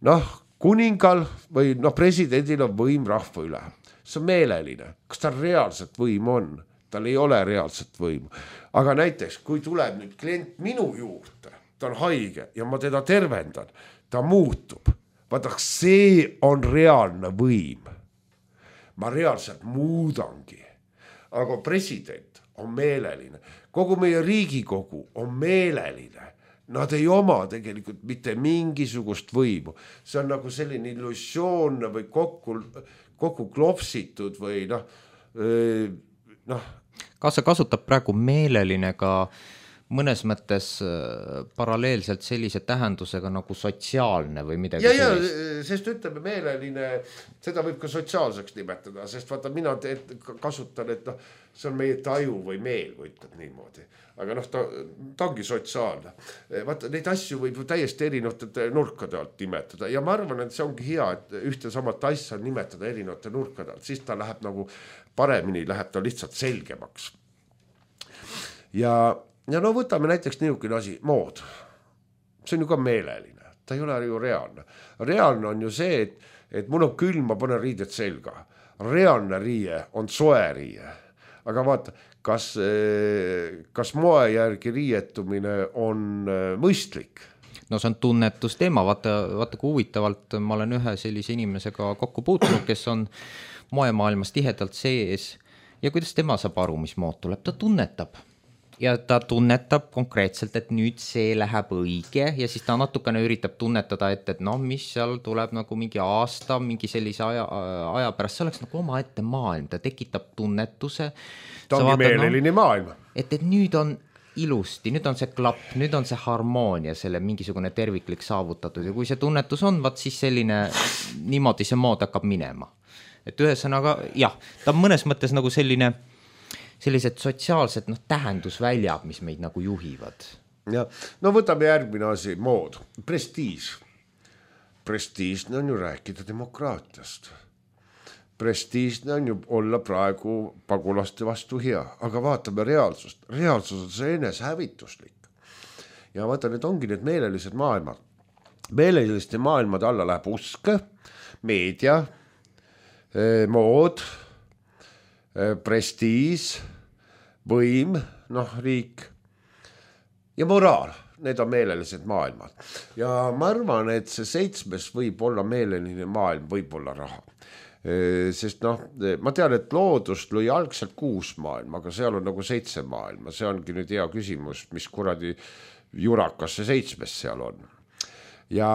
Noh, kuningal või noh, presidendil on võim rahva üle. See on meeleline. Kas ta reaalselt võim on? Tal ei ole reaalset võimu. Aga näiteks, kui tuleb nüüd klient minu juurde, ta on haige ja ma teda tervendan, ta muutub. Vaata, see on reaalne võim. Ma reaalselt muudangi. Aga president on meeleline. Kogu meie Riigikogu on meeleline. Nad ei oma tegelikult mitte mingisugust võimu. See on nagu selline illusioon või kokku, kokku klopsitud või noh, noh. Kas sa kasutab praegu meeleline ka mõnes mõttes paralleelselt sellise tähendusega nagu sotsiaalne või midagi ja, sellist? Ja, sest ütleme meeleline, seda võib ka sotsiaalseks nimetada, sest vaata, mina te, kasutan, et noh, see on meie taju või meel, kui ütleb niimoodi. Aga noh, ta, ta ongi sotsiaalne. Vaata, neid asju võib täiesti erinevate nurkade alt nimetada ja ma arvan, et see ongi hea, et ühte samat asja nimetada erinevate nurkade alt, siis ta läheb nagu paremini, läheb ta lihtsalt selgemaks. Ja Ja no võtame näiteks niisugune asi, mood. See on ju ka meeleline, ta ei ole ju reaalne. Reaalne on ju see, et, et mul on külm, ma panen riided selga. Reaalne riie on soe riie. Aga vaata, kas, kas moe järgi riietumine on mõistlik? No see on tunnetusteema, vaata, vaata kui huvitavalt ma olen ühe sellise inimesega kokku puutunud, kes on moemaailmas tihedalt sees ja kuidas tema saab aru, mis mood tuleb, ta tunnetab. Ja ta tunnetab konkreetselt, et nüüd see läheb õige ja siis ta natukene üritab tunnetada, et, et noh, mis seal tuleb nagu mingi aasta, mingi sellise aja, aja pärast, see oleks nagu oma ette maailm, ta tekitab tunnetuse. Ta ongi meeleline no, maailm. Et, et nüüd on ilusti, nüüd on see klapp, nüüd on see harmoonia, selle mingisugune terviklik saavutatud ja kui see tunnetus on, vaat siis selline, niimoodi see mood hakkab minema. Et ühesõnaga, jah, ta on mõnes mõttes nagu selline sellised sotsiaalsed noh, tähendusväljad, mis meid nagu juhivad. Ja, no võtame järgmine asi, mood, prestiis. Prestiisne on ju rääkida demokraatiast. Prestiisne on ju olla praegu pagulaste vastu hea, aga vaatame reaalsust. Reaalsus on see eneshävituslik. Ja vaata, need ongi need meelelised maailmad. Meeleliste maailmad alla läheb usk, meedia, mood, prestiis, võim, noh, riik ja moraal. need on meelelised maailmad ja ma arvan, et see seitsmes võib olla meeleline maailm, võib olla raha. Sest noh, ma tean, et loodust lõi algselt kuus maailma, aga seal on nagu seitse maailma, see ongi nüüd hea küsimus, mis kuradi jurakas see seitsmes seal on. Ja,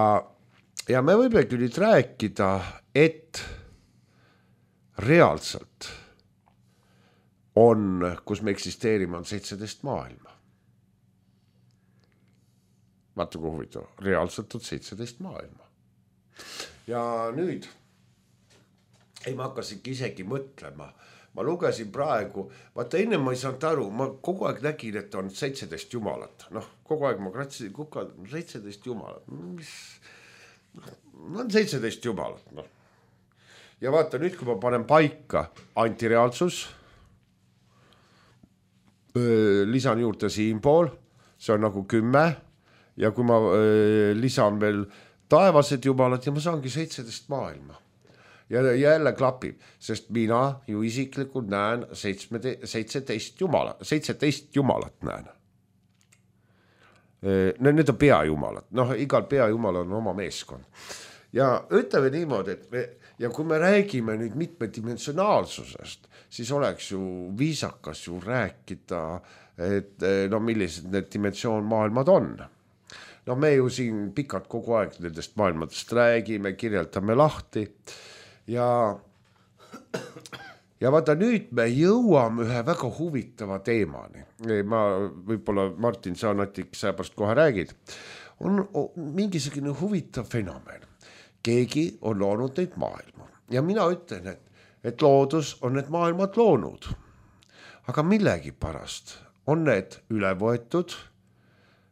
ja me võimegi nüüd rääkida, et reaalselt on, kus me eksisteerime, on seitseteist maailma. Vaata kui huvitav, reaalselt on seitseteist maailma. Ja nüüd ei ma hakkasingi isegi mõtlema. Ma lugesin praegu, vaata enne ma ei saanud aru, ma kogu aeg nägin, et on seitseteist jumalat. Noh, kogu aeg ma kratsisin kukka, seitseteist jumalat. Mis? No on seitseteist jumalat. No. Ja vaata nüüd, kui ma panen paika antireaalsus, lisan juurde siinpool, see on nagu kümme ja kui ma lisan veel taevased jumalad ja ma saangi seitseteist maailma. Ja jälle klapib, sest mina ju isiklikult näen seitseteist jumala, seitseteist jumalat näen. Need on peajumalad, noh, igal peajumal on oma meeskond. Ja ütleme niimoodi, et me, ja kui me räägime nüüd mitmedimensionaalsusest, siis oleks ju viisakas ju rääkida, et no millised need dimensioon maailmad on. No me ju siin pikalt kogu aeg nendest maailmadest räägime, kirjeldame lahti. Ja, ja vaata nüüd me jõuame ühe väga huvitava teemani. Ma võib-olla Martin Saanatik seepärast kohe räägid. On mingisugune huvitav fenomen. Keegi on loonud neid maailma. Ja mina ütlen, et, et loodus on need maailmad loonud. Aga millegi pärast on need üle võetud,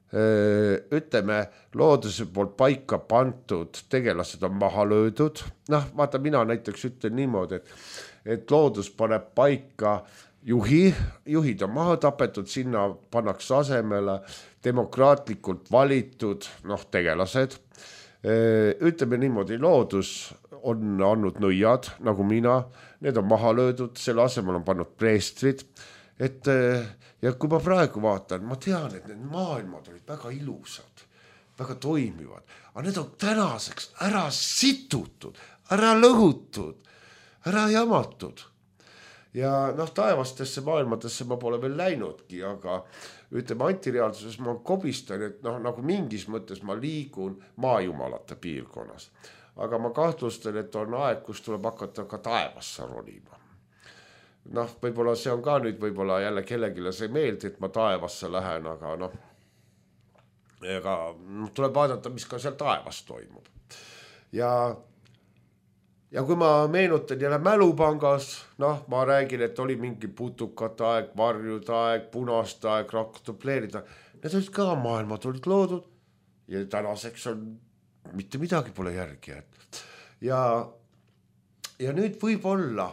ütleme, looduse poolt paika pantud tegelased on maha löödud. Noh, vaata, mina näiteks ütlen niimoodi, et, et loodus paneb paika juhi, juhid on maha tapetud, sinna pannakse asemele demokraatlikult valitud noh, tegelased. Ütleme niimoodi, loodus on andnud nõiad, nagu mina, need on maha löödud, selle asemel on pannud preestrid. Et, ja kui ma praegu vaatan, ma tean, et need maailmad olid väga ilusad, väga toimivad, aga need on tänaseks ära situtud, ära lõhutud, ära jamatud. Ja noh, taevastesse maailmadesse ma pole veel läinudki, aga ütleme antireaalsuses ma kobistan, et noh, nagu mingis mõttes ma liigun maajumalate piirkonnas. Aga ma kahtlustan, et on aeg, kus tuleb hakata ka taevasse ronima. Noh, võib-olla see on ka nüüd võib-olla jälle kellegile see meeldi, et ma taevasse lähen, aga noh, ega tuleb vaadata, mis ka seal taevas toimub. Ja, ja kui ma meenutan jälle mälupangas, noh, ma räägin, et oli mingi putukate aeg, varjude aeg, punaste aeg, rakutupleerida. Need olid ka maailmad olid loodud ja tänaseks on mitte midagi pole järgi. Ja, ja nüüd võib olla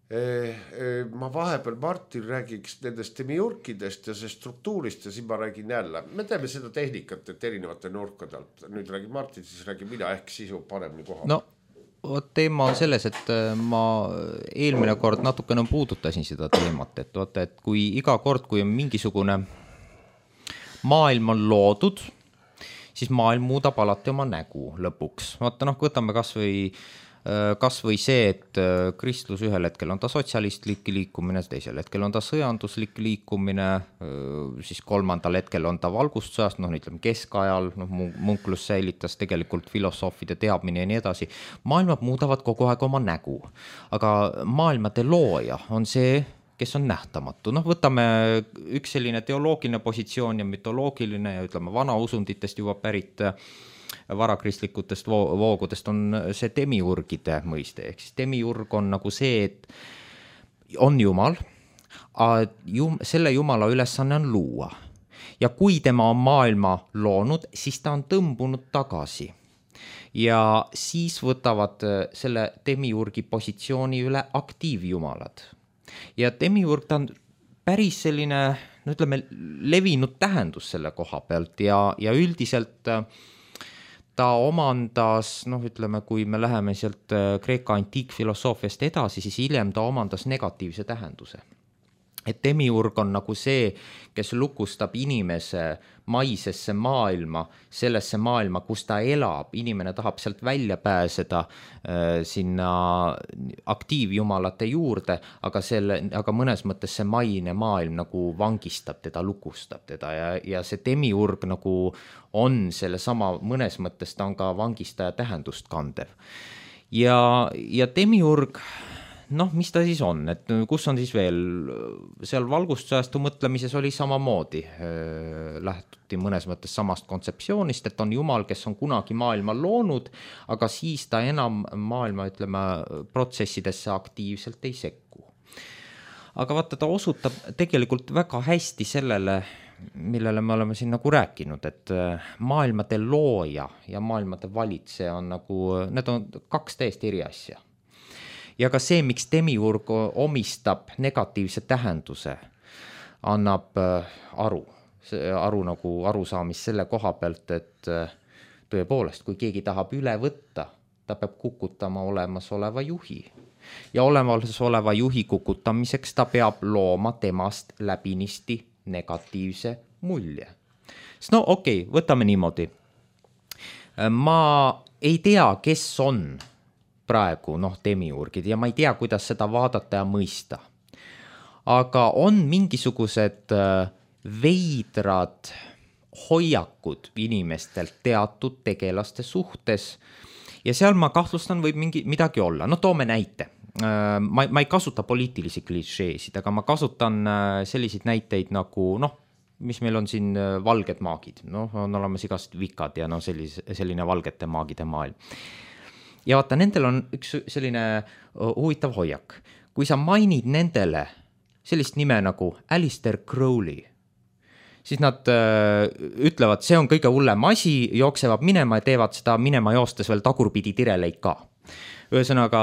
ma vahepeal Martin räägiks nendest demiurkidest ja see struktuurist ja siin ma räägin jälle. Me teeme seda tehnikat, et erinevate nurkadelt. Nüüd räägib Martin, siis räägib mina ehk sisu paremini koha. No, teema on selles, et ma eelmine kord natukene puudutasin seda teemat, et, vaata, et kui iga kord, kui on mingisugune maailm on loodud, siis maailm muudab alati oma nägu lõpuks. Vaata, noh, võtame kas või kas või see, et kristlus ühel hetkel on ta sotsialistlik liikumine, teisel hetkel on ta sõjanduslik liikumine, siis kolmandal hetkel on ta valgustussajast, noh ütleme keskajal, noh munklus säilitas tegelikult filosoofide teadmine ja nii edasi. Maailmad muudavad kogu aeg oma nägu, aga maailmade looja on see, kes on nähtamatu. Noh, võtame üks selline teoloogiline positsioon ja mütoloogiline ja ütleme vana usunditest juba pärit varakristlikutest voogudest on see demiurgide mõiste, ehk siis demiurg on nagu see, et on jumal, selle jumala ülesanne on luua ja kui tema on maailma loonud, siis ta on tõmbunud tagasi ja siis võtavad selle demiurgi positsiooni üle aktiivjumalad ja demiurg ta on päris selline, no ütleme, levinud tähendus selle koha pealt ja, ja üldiselt ta omandas, noh ütleme, kui me läheme sealt Kreeka antiikfilosoofiast edasi, siis hiljem ta omandas negatiivse tähenduse. et demiurg on nagu see, kes lukustab inimese maisesse maailma, sellesse maailma, kus ta elab, inimene tahab sealt välja pääseda äh, sinna aktiivjumalate juurde, aga, selle, aga mõnes mõttes see maine maailm nagu vangistab teda, lukustab teda ja, ja see demiurg nagu on selle sama, mõnes mõttes ta on ka vangistaja tähendust kandev. Ja, ja demiurg, noh, mis ta siis on, et kus on siis veel, seal valgustusajastu mõtlemises oli samamoodi, lähtuti mõnes mõttes samast kontseptsioonist, et on jumal, kes on kunagi maailma loonud, aga siis ta enam maailma, ütleme, protsessidesse aktiivselt ei sekku. Aga vaata, ta osutab tegelikult väga hästi sellele, millele me oleme siin nagu rääkinud, et maailmade looja ja maailmade valitseja on nagu, need on kaks täiesti eri asja. Ja ka see, miks demiurg omistab negatiivse tähenduse, annab aru, aru nagu arusaamist selle koha pealt, et tõepoolest, kui keegi tahab üle võtta, ta peab kukutama olemasoleva juhi. Ja olemasoleva juhi kukutamiseks ta peab looma temast läbinisti negatiivse mulje. No okei, okay, võtame niimoodi. Ma ei tea, kes on praegu noh, demiurgid ja ma ei tea, kuidas seda vaadata ja mõista. Aga on mingisugused veidrad hoiakud inimestelt teatud tegelaste suhtes ja seal ma kahtlustan võib mingi, midagi olla. No toome näite. Ma, ma ei kasuta poliitilisi klišeesid, aga ma kasutan selliseid näiteid nagu, noh, mis meil on siin valged maagid. Noh, on olemas igast vikad ja no sellis, selline valgete maagide maailm. Ja vaata, nendel on üks selline huvitav hoiak. Kui sa mainid nendele sellist nime nagu Alistair Crowley, siis nad öö, ütlevad, see on kõige hullem asi, jooksevad minema ja teevad seda minema joostes veel tagurpidi tireleid ka. Ühesõnaga,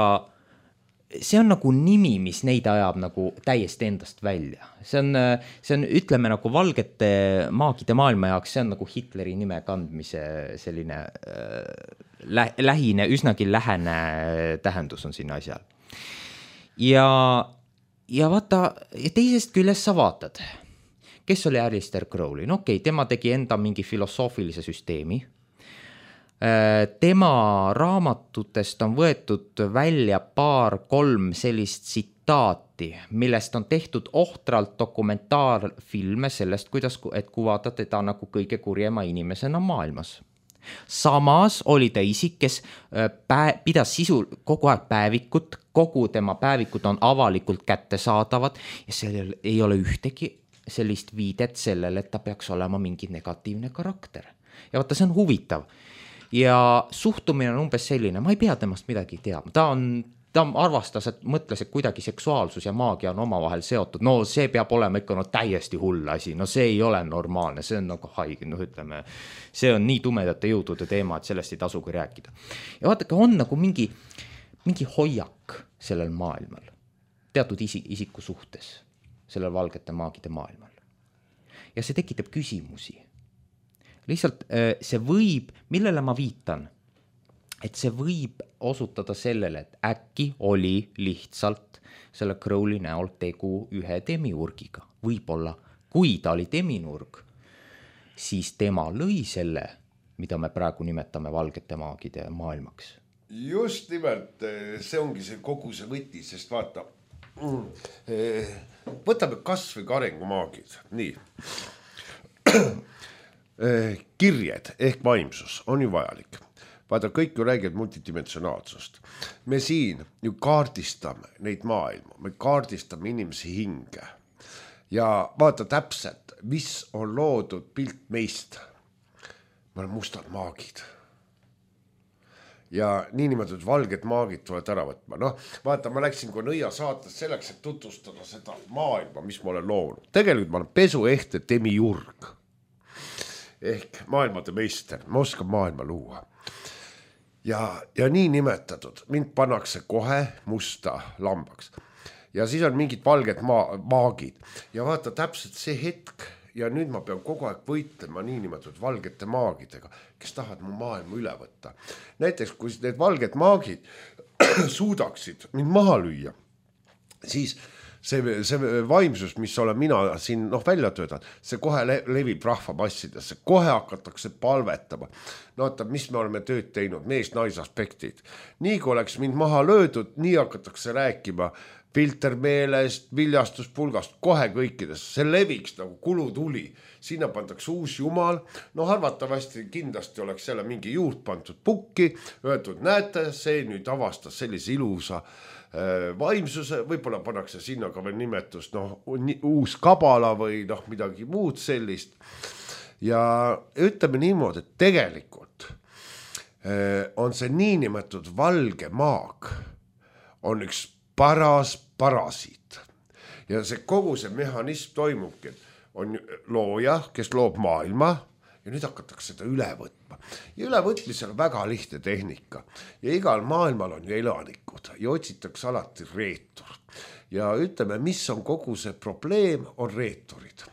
see on nagu nimi, mis neid ajab nagu täiesti endast välja. See on, see on, ütleme nagu valgete maagide maailma jaoks, see on nagu Hitleri nime kandmise selline lä, lähine, üsnagi lähene tähendus on sinna asjal. Ja, ja vaata, teisest küljest sa vaatad, kes oli Alistair Crowley? No okei, okay, tema tegi enda mingi filosoofilise süsteemi. Tema raamatutest on võetud välja paar kolm sellist tsitaati, millest on tehtud ohtralt dokumentaarfilme sellest, kuidas et kuvada teda nagu kõige kurjema inimesena maailmas. Samas oli ta isik, kes pää, pidas sisu kogu aeg päevikut, kogu tema päevikud on avalikult kättesaadavad ja sellel ei ole ühtegi sellist viidet sellele, et ta peaks olema mingi negatiivne karakter. Ja vaata, see on huvitav. Ja suhtumine on umbes selline, ma ei pea temast midagi teadma, ta on, ta arvastas, et mõtles, et kuidagi seksuaalsus ja maagia on omavahel seotud, no see peab olema ikka no täiesti hull asi, no see ei ole normaalne, see on nagu haige, no ütleme, see on nii tumedate jõudude teema, et sellest ei tasugi rääkida. Ja vaadake, on nagu mingi, mingi hoiak sellel maailmal, teatud isi, isiku suhtes, sellel valgete maagide maailmal. Ja see tekitab küsimusi. Lihtsalt see võib, millele ma viitan, et see võib osutada sellele, et äkki oli lihtsalt selle Crowley näol tegu ühe demiurgiga. Võib-olla, kui ta oli demiurg, siis tema lõi selle, mida me praegu nimetame valgete maagide maailmaks. Just nimelt, see ongi see kogu see võti, sest vaata, võtame kas või ka arengumaagid, nii. Kirjed ehk vaimsus on ju vajalik. Vaata, kõik ju räägivad multidimensionaalsust. Me siin ju kaardistame neid maailma, me kaardistame inimesi hinge. Ja vaata täpselt, mis on loodud pilt meist. Me oleme mustad maagid. Ja niinimetatud valged maagid tulevad ära võtma. Noh, vaata, ma läksin kui nõia saates selleks, et tutvustada seda maailma, mis ma olen loonud. Tegelikult ma olen pesuehte demiurg. Ehk maailmade meister, ma oskan maailma luua. Ja, ja nii nimetatud, mind pannakse kohe musta lambaks. Ja siis on mingid valged ma- maagid. Ja vaata täpselt see hetk, ja nüüd ma pean kogu aeg võitlema nii nimetatud valgete maagidega, kes tahavad mu maailma üle võtta. Näiteks, kui need valged maagid suudaksid mind maha lüüa, siis see, see vaimsus, mis olen mina siin noh, välja töötanud, see kohe le levib rahvamassidesse, kohe hakatakse palvetama. No oota, mis me oleme tööd teinud, mees-nais aspektid. Nii kui oleks mind maha löödud, nii hakatakse rääkima filtermeelest, viljastuspulgast, kohe kõikidest. See leviks nagu kulutuli. Sinna pandaks uus jumal. No arvatavasti kindlasti oleks selle mingi juurt pandud pukki, öeldud, näete, see nüüd avastas sellise ilusa vaimsuse, võib-olla pannakse sinna ka veel nimetust, noh, uus kabala või noh, midagi muud sellist. Ja ütleme niimoodi, et tegelikult on see niinimetatud valge maag, on üks paras parasiit. Ja see kogu see mehhanism toimubki, on looja, kes loob maailma ja nüüd hakatakse seda üle võtma. Ja ülevõtmisel on väga lihtne tehnika ja igal maailmal on ju elanikud ja otsitakse alati reetur. Ja ütleme, mis on kogu see probleem, on reeturid.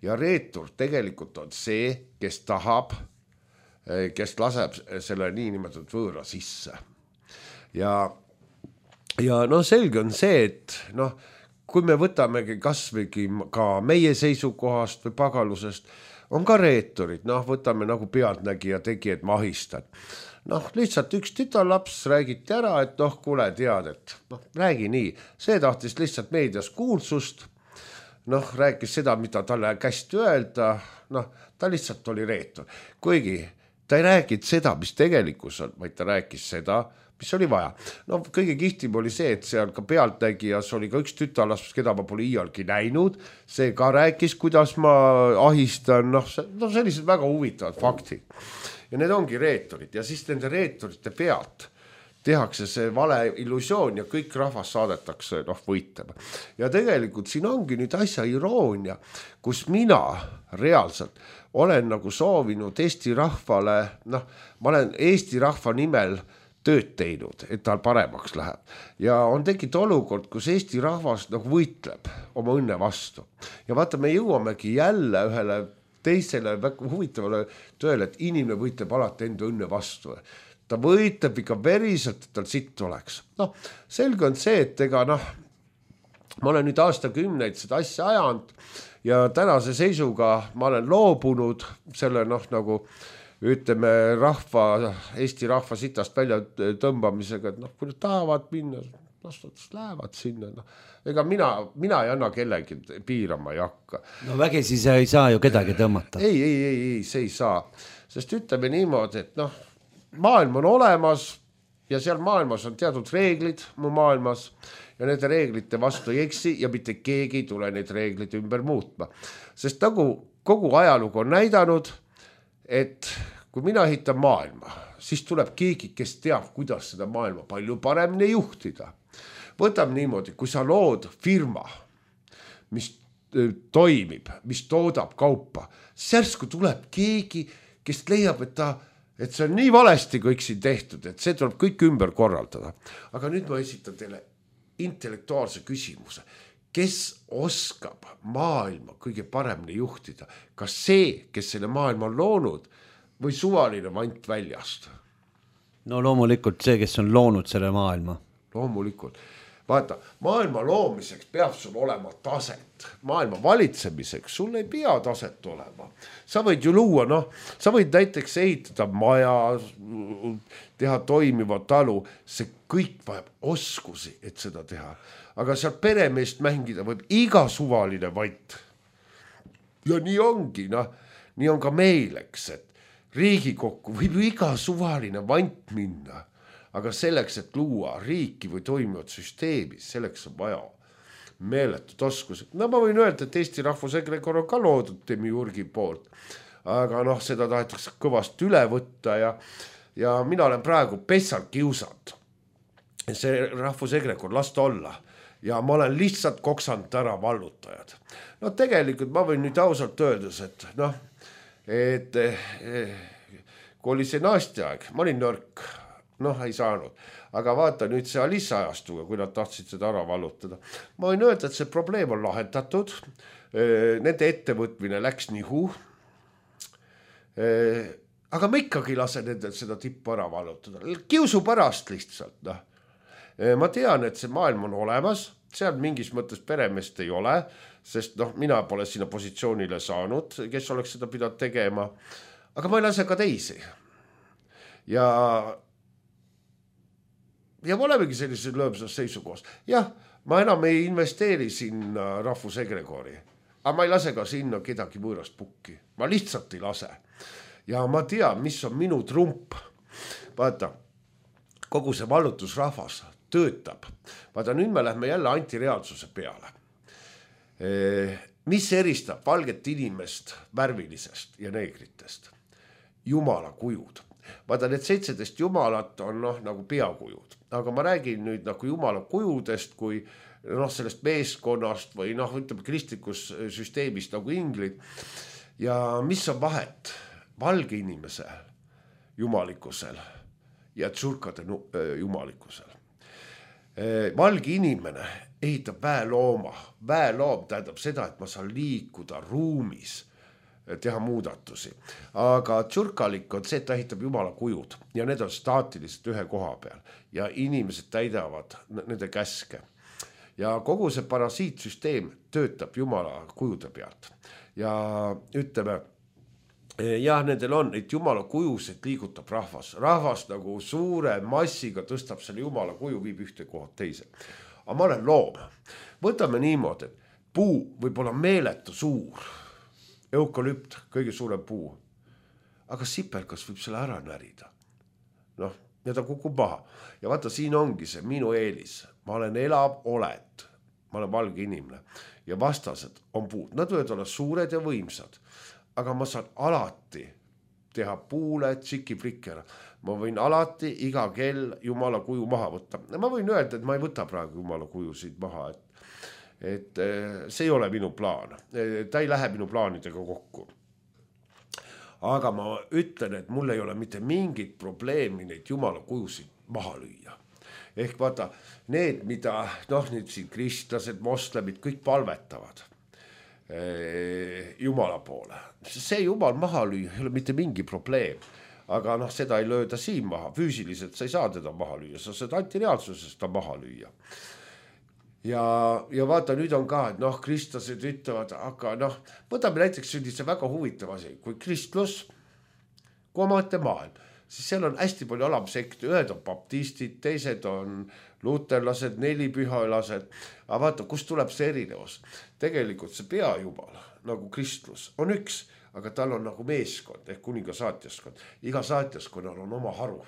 Ja reetur tegelikult on see, kes tahab, kes laseb selle niinimetatud võõra sisse. Ja, ja no selge on see, et noh, kui me võtamegi kasvõigi ka meie seisukohast või pagalusest, on ka reeturid, noh, võtame nagu pealtnägija tegijad mahistad. Noh, lihtsalt üks tütarlaps räägiti ära, et noh, kuule, tead, et noh, räägi nii. See tahtis lihtsalt meedias kuulsust, noh, rääkis seda, mida talle kästi öelda, noh, ta lihtsalt oli reetur. Kuigi ta ei räägid seda, mis tegelikus on, vaid ta rääkis seda, mis oli vaja. No kõige kihtim oli see, et seal ka pealtnägijas oli ka üks tütarlaps, keda ma pole iialgi näinud. See ka rääkis, kuidas ma ahistan, noh, no sellised väga huvitavad faktid. Ja need ongi reeturid ja siis nende reeturite pealt tehakse see vale illusioon ja kõik rahvas saadetakse noh, võitlema. Ja tegelikult siin ongi nüüd asja iroonia, kus mina reaalselt olen nagu soovinud Eesti rahvale, noh, ma olen Eesti rahva nimel tööd teinud, et tal paremaks läheb. Ja on tekkinud olukord, kus Eesti rahvas nagu võitleb oma õnne vastu. Ja vaata, me jõuamegi jälle ühele teisele väga huvitavale tööle, et inimene võitleb alati enda õnne vastu. Ta võitleb ikka veriselt, et tal sitt oleks. Noh, selge on see, et ega noh, ma olen nüüd aastakümneid seda asja ajanud ja tänase seisuga ma olen loobunud selle noh, nagu ütleme rahva, Eesti rahva sitast välja tõmbamisega, et noh, kui nad tahavad minna, lastades lähevad sinna, noh. Ega mina, mina ei anna kellegi piirama ei hakka. No vägisi see ei saa ju kedagi tõmmata. Ei, ei, ei, ei, see ei saa. Sest ütleme niimoodi, et noh, maailm on olemas ja seal maailmas on teatud reeglid mu maailmas ja nende reeglite vastu ei eksi ja mitte keegi ei tule neid reeglid ümber muutma. Sest nagu kogu ajalugu on näidanud, et kui mina ehitan maailma, siis tuleb keegi, kes teab, kuidas seda maailma palju paremini juhtida. Võtam niimoodi, kui sa lood firma, mis toimib, mis toodab kaupa, särsku tuleb keegi, kes leiab, et ta et see on nii valesti kõik siin tehtud, et see tuleb kõik ümber korraldada. Aga nüüd ma esitan teile intellektuaalse küsimuse. Kes oskab maailma kõige paremini juhtida? Kas see, kes selle maailma on loonud või suvaline vant väljast? No loomulikult see, kes on loonud selle maailma. Loomulikult. Vaata, maailma loomiseks peab sul olema taset. Maailma valitsemiseks sul ei pea taset olema. Sa võid ju luua, noh, sa võid näiteks ehitada maja, teha toimiva talu. See kõik vajab oskusi, et seda teha. Aga seal peremeest mängida võib iga suvaline vant. Ja nii ongi, noh, nii on ka meileks, et Riigikokku võib ju iga suvaline vant minna. Aga selleks, et luua riiki või toimivat süsteemi, selleks on vaja meeletud oskused. No ma võin öelda, et Eesti rahvusegrekor on ka loodud Demiurgi poolt. Aga noh, seda tahetakse kõvast üle võtta ja, ja mina olen praegu pessalt kiusanud. See rahvusegrekor lasta olla. Ja ma olen lihtsalt koksanud ära vallutajad. No tegelikult ma võin nüüd ausalt öeldes, et noh, et kui oli see naasti aeg, ma olin nõrk. Noh, ei saanud. Aga vaata nüüd see Alissa ajastuga, kui nad tahtsid seda ära vallutada. Ma võin öelda, et see probleem on lahendatud. Nende ettevõtmine läks nihu. Aga ma ikkagi lasen nendel seda tippu ära vallutada. Kiusu pärast lihtsalt. No. ma tean, et see maailm on olemas, seal mingis mõttes peremeest ei ole, sest noh, mina pole sinna positsioonile saanud, kes oleks seda pidanud tegema, aga ma ei lase ka teisi. Ja, ja ma olemegi sellises lõõmsas seisukohas. Jah, ma enam ei investeeri sinna rahvusegregoori, aga ma ei lase ka sinna kedagi võõrast pukki. Ma lihtsalt ei lase. Ja ma tean, mis on minu trump. Vaata, kogu see vallutusrahvas töötab. Vaata, nüüd me lähme jälle antireaalsuse peale. Mis eristab valget inimest värvilisest ja neegritest? Jumala kujud. Vaata, need seitseteist jumalat on noh, nagu peakujud. Aga ma räägin nüüd nagu jumala kujudest kui noh, sellest meeskonnast või noh, ütleme kristlikus süsteemist nagu inglid. Ja mis on vahet valge inimese jumalikkusel ja tsurkade jumalikkusel? Valge inimene ehitab väelooma. Väeloom tähendab seda, et ma saan liikuda ruumis, teha muudatusi. Aga tsurkalik on see, et ta ehitab jumala kujud ja need on staatiliselt ühe koha peal ja inimesed täidavad nende käske. Ja kogu see parasiitsüsteem töötab jumala kujude pealt. Ja ütleme, jah, nendel on, et jumala kujusid liigutab rahvas. Rahvas nagu suure massiga tõstab selle jumala kuju, viib ühte kohad teise. Aga ma olen loom. Võtame niimoodi, et puu võib olla meeletu suur. Eukalüpt, kõige suurem puu. Aga sipelkas võib selle ära närida. Noh, ja ta kukub maha. Ja vaata, siin ongi see minu eelis. Ma olen elav oled. Ma olen valge inimene. Ja vastased on puud. Nad võivad olla suured ja võimsad. Aga ma saan alati teha puule tšiki-flikkera. Ma võin alati iga kell jumala kuju maha võtta. Ma võin öelda, et ma ei võta praegu jumala kuju siit maha. Et, et see ei ole minu plaan. Ta ei lähe minu plaanidega kokku. Aga ma ütlen, et mul ei ole mitte mingit probleemi neid jumala kujusid maha lüüa. Ehk vaata, need, mida noh, nüüd siin kristlased, moslemid, kõik palvetavad jumala poole. See jumal maha lüüa ei ole mitte mingi probleem, aga noh, seda ei lööda siin maha. Füüsiliselt sa ei saa teda maha lüüa, sa saad antireaalsusest ta maha lüüa. Ja, ja vaata, nüüd on ka, et noh, kristlased ütlevad, aga noh, võtame näiteks sellise väga huvitav asi, kui kristlus, kui omaette maailm, siis seal on hästi palju alamsekti, ühed on baptistid, teised on luterlased, nelipühalased, aga vaata, kust tuleb see erinevus. Tegelikult see peajumal, nagu kristlus, on üks, aga tal on nagu meeskond, ehk kuninga saatjaskond. Iga saatjaskonnal on oma haru.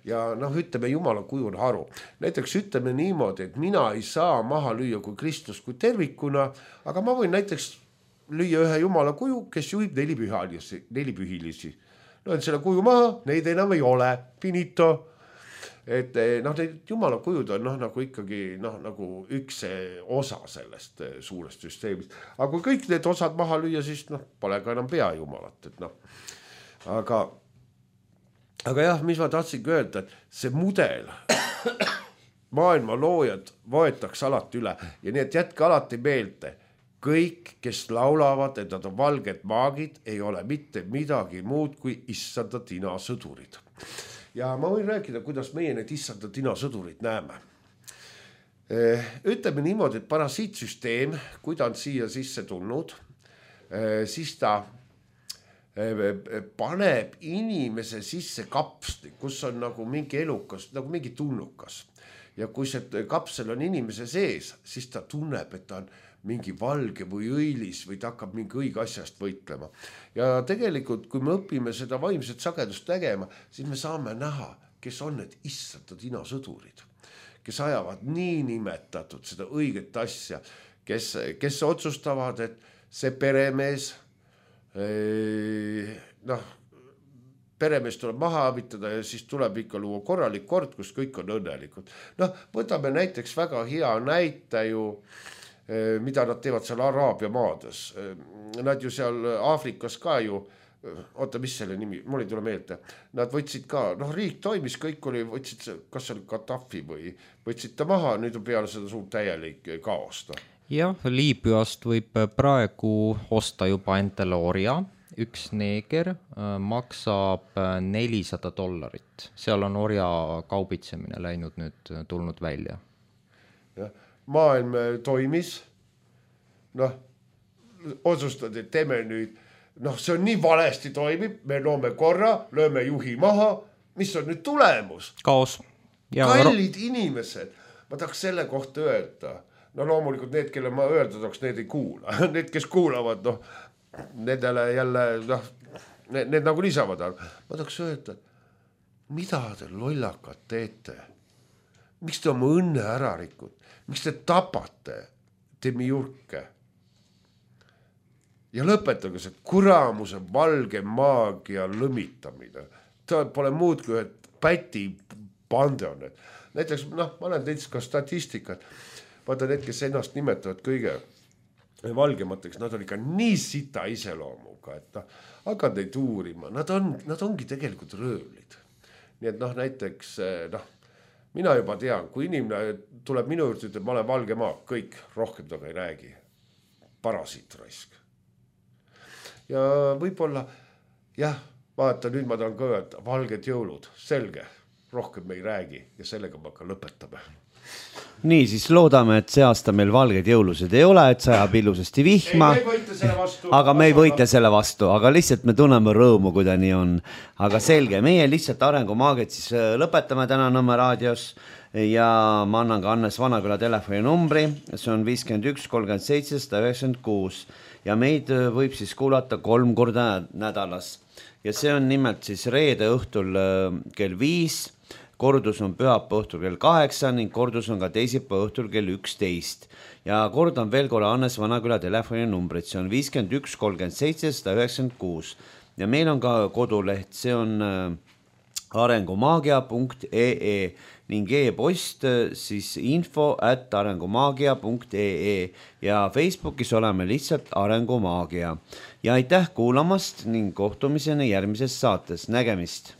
Ja noh, ütleme, jumala kuju on haru. Näiteks ütleme niimoodi, et mina ei saa maha lüüa kui kristlus kui tervikuna, aga ma võin näiteks lüüa ühe jumala kuju, kes juhib nelipühilisi, nelipühilisi. Löön selle kuju maha, neid enam ei ole, finito. Et noh, need jumala kujud on noh, nagu ikkagi noh, nagu üks osa sellest suurest süsteemist. Aga kui kõik need osad maha lüüa, siis noh, pole ka enam pea jumalat. Et noh. Aga, aga jah, mis ma tahtsingi öelda, et see mudel, maailma loojad võetakse alati üle ja nii, et jätke alati meelde, kõik, kes laulavad, et nad on valged maagid, ei ole mitte midagi muud kui issanda tina sõdurid. Ja ma võin rääkida, kuidas meie need issanda tina sõdurid näeme. Ütleme niimoodi, et parasiitsüsteem, kui ta on siia sisse tulnud, siis ta paneb inimese sisse kapsli, kus on nagu mingi elukas, nagu mingi tulnukas. Ja kui see kapsel on inimese sees, siis ta tunneb, et ta on mingi valge või õilis või ta hakkab mingi õige asjast võitlema. Ja tegelikult, kui me õpime seda vaimset sagedust tegema, siis me saame näha, kes on need issanda tina sõdurid, kes ajavad nii nimetatud seda õiget asja, kes, kes otsustavad, et see peremees, noh, peremees tuleb maha abitada ja siis tuleb ikka luua korralik kord, kus kõik on õnnelikud. Noh, võtame näiteks väga hea näite ju, mida nad teevad seal Araabia maades. Nad ju seal Aafrikas ka ju, oota, mis selle nimi, mul ei tule meelde, nad võtsid ka, noh, riik toimis, kõik oli, võtsid, kas oli Gaddafi või võtsid ta maha, nüüd on peale seda suurt täielik kaost. Jah, Liibüast võib praegu osta juba Entelooria üks neeger maksab nelisada dollarit, seal on orja kaubitsemine läinud nüüd, tulnud välja. Ja, maailm toimis, noh, otsustad, et teeme nüüd, noh, see on nii valesti toimib, me loome korra, lööme juhi maha, mis on nüüd tulemus? Kaos. Ja kallid inimesed, ma tahaks selle kohta öelda, no loomulikult need, kelle ma öelda tahaks, need ei kuula, need, kes kuulavad, noh, nendele jälle, noh, need, need nagu lisavad, ma tahaks öelda, mida te lollakad teete? Miks te oma õnne ära rikud? Miks te tapate demiurke? Ja lõpetage see kuramuse valge maagia lõmitamine. Ta pole muud kui et päti pande on. Näiteks, noh, ma olen teinud ka statistikat. Vaata need, kes ennast nimetavad kõige valgemateks, nad on ikka nii sita iseloomuga, et noh, hakkad neid uurima. Nad, on, nad ongi tegelikult röövlid. Nii et noh, näiteks, noh, mina juba tean, kui inimene tuleb minu juurde, ütleb, ma olen valge maa, kõik, rohkem taga ei räägi. Parasiit raisk. Ja võib-olla, jah, vaata, nüüd ma tahan ka öelda, valged jõulud, selge, rohkem me ei räägi ja sellega ma ka lõpetame. Nii, siis loodame, et see aasta meil valged jõulused ei ole, et sajab ilusasti vihma, ei, vastu, aga me ei võite selle vastu, aga lihtsalt me tunneme rõõmu, kui ta nii on. Aga selge, meie lihtsalt arengumaagiat siis lõpetame täna Nõmme raadios ja ma annan ka Hannes Vanaküla telefoni numbri, see on viiskümmend üks kolmkümmend seitse üheksakümmend kuus ja meid võib siis kuulata kolm korda nädalas ja see on nimelt siis reede õhtul kell viis, kordus on pühapäeva õhtul kell kaheksa ning kordus on ka teisipäeva õhtul kell üksteist. Ja kordan veel korra Hannes Vanaküla telefoni numbrit, see on viiskümmend üks kolmkümmend seitse üheksakümmend kuus. Ja meil on ka koduleht, see on arengumaagia punkt ee ning e-post siis info at arengumaagia punkt ee ja Facebookis oleme lihtsalt Arengumaagia. Ja aitäh kuulamast ning kohtumiseni järgmises saates. Nägemist!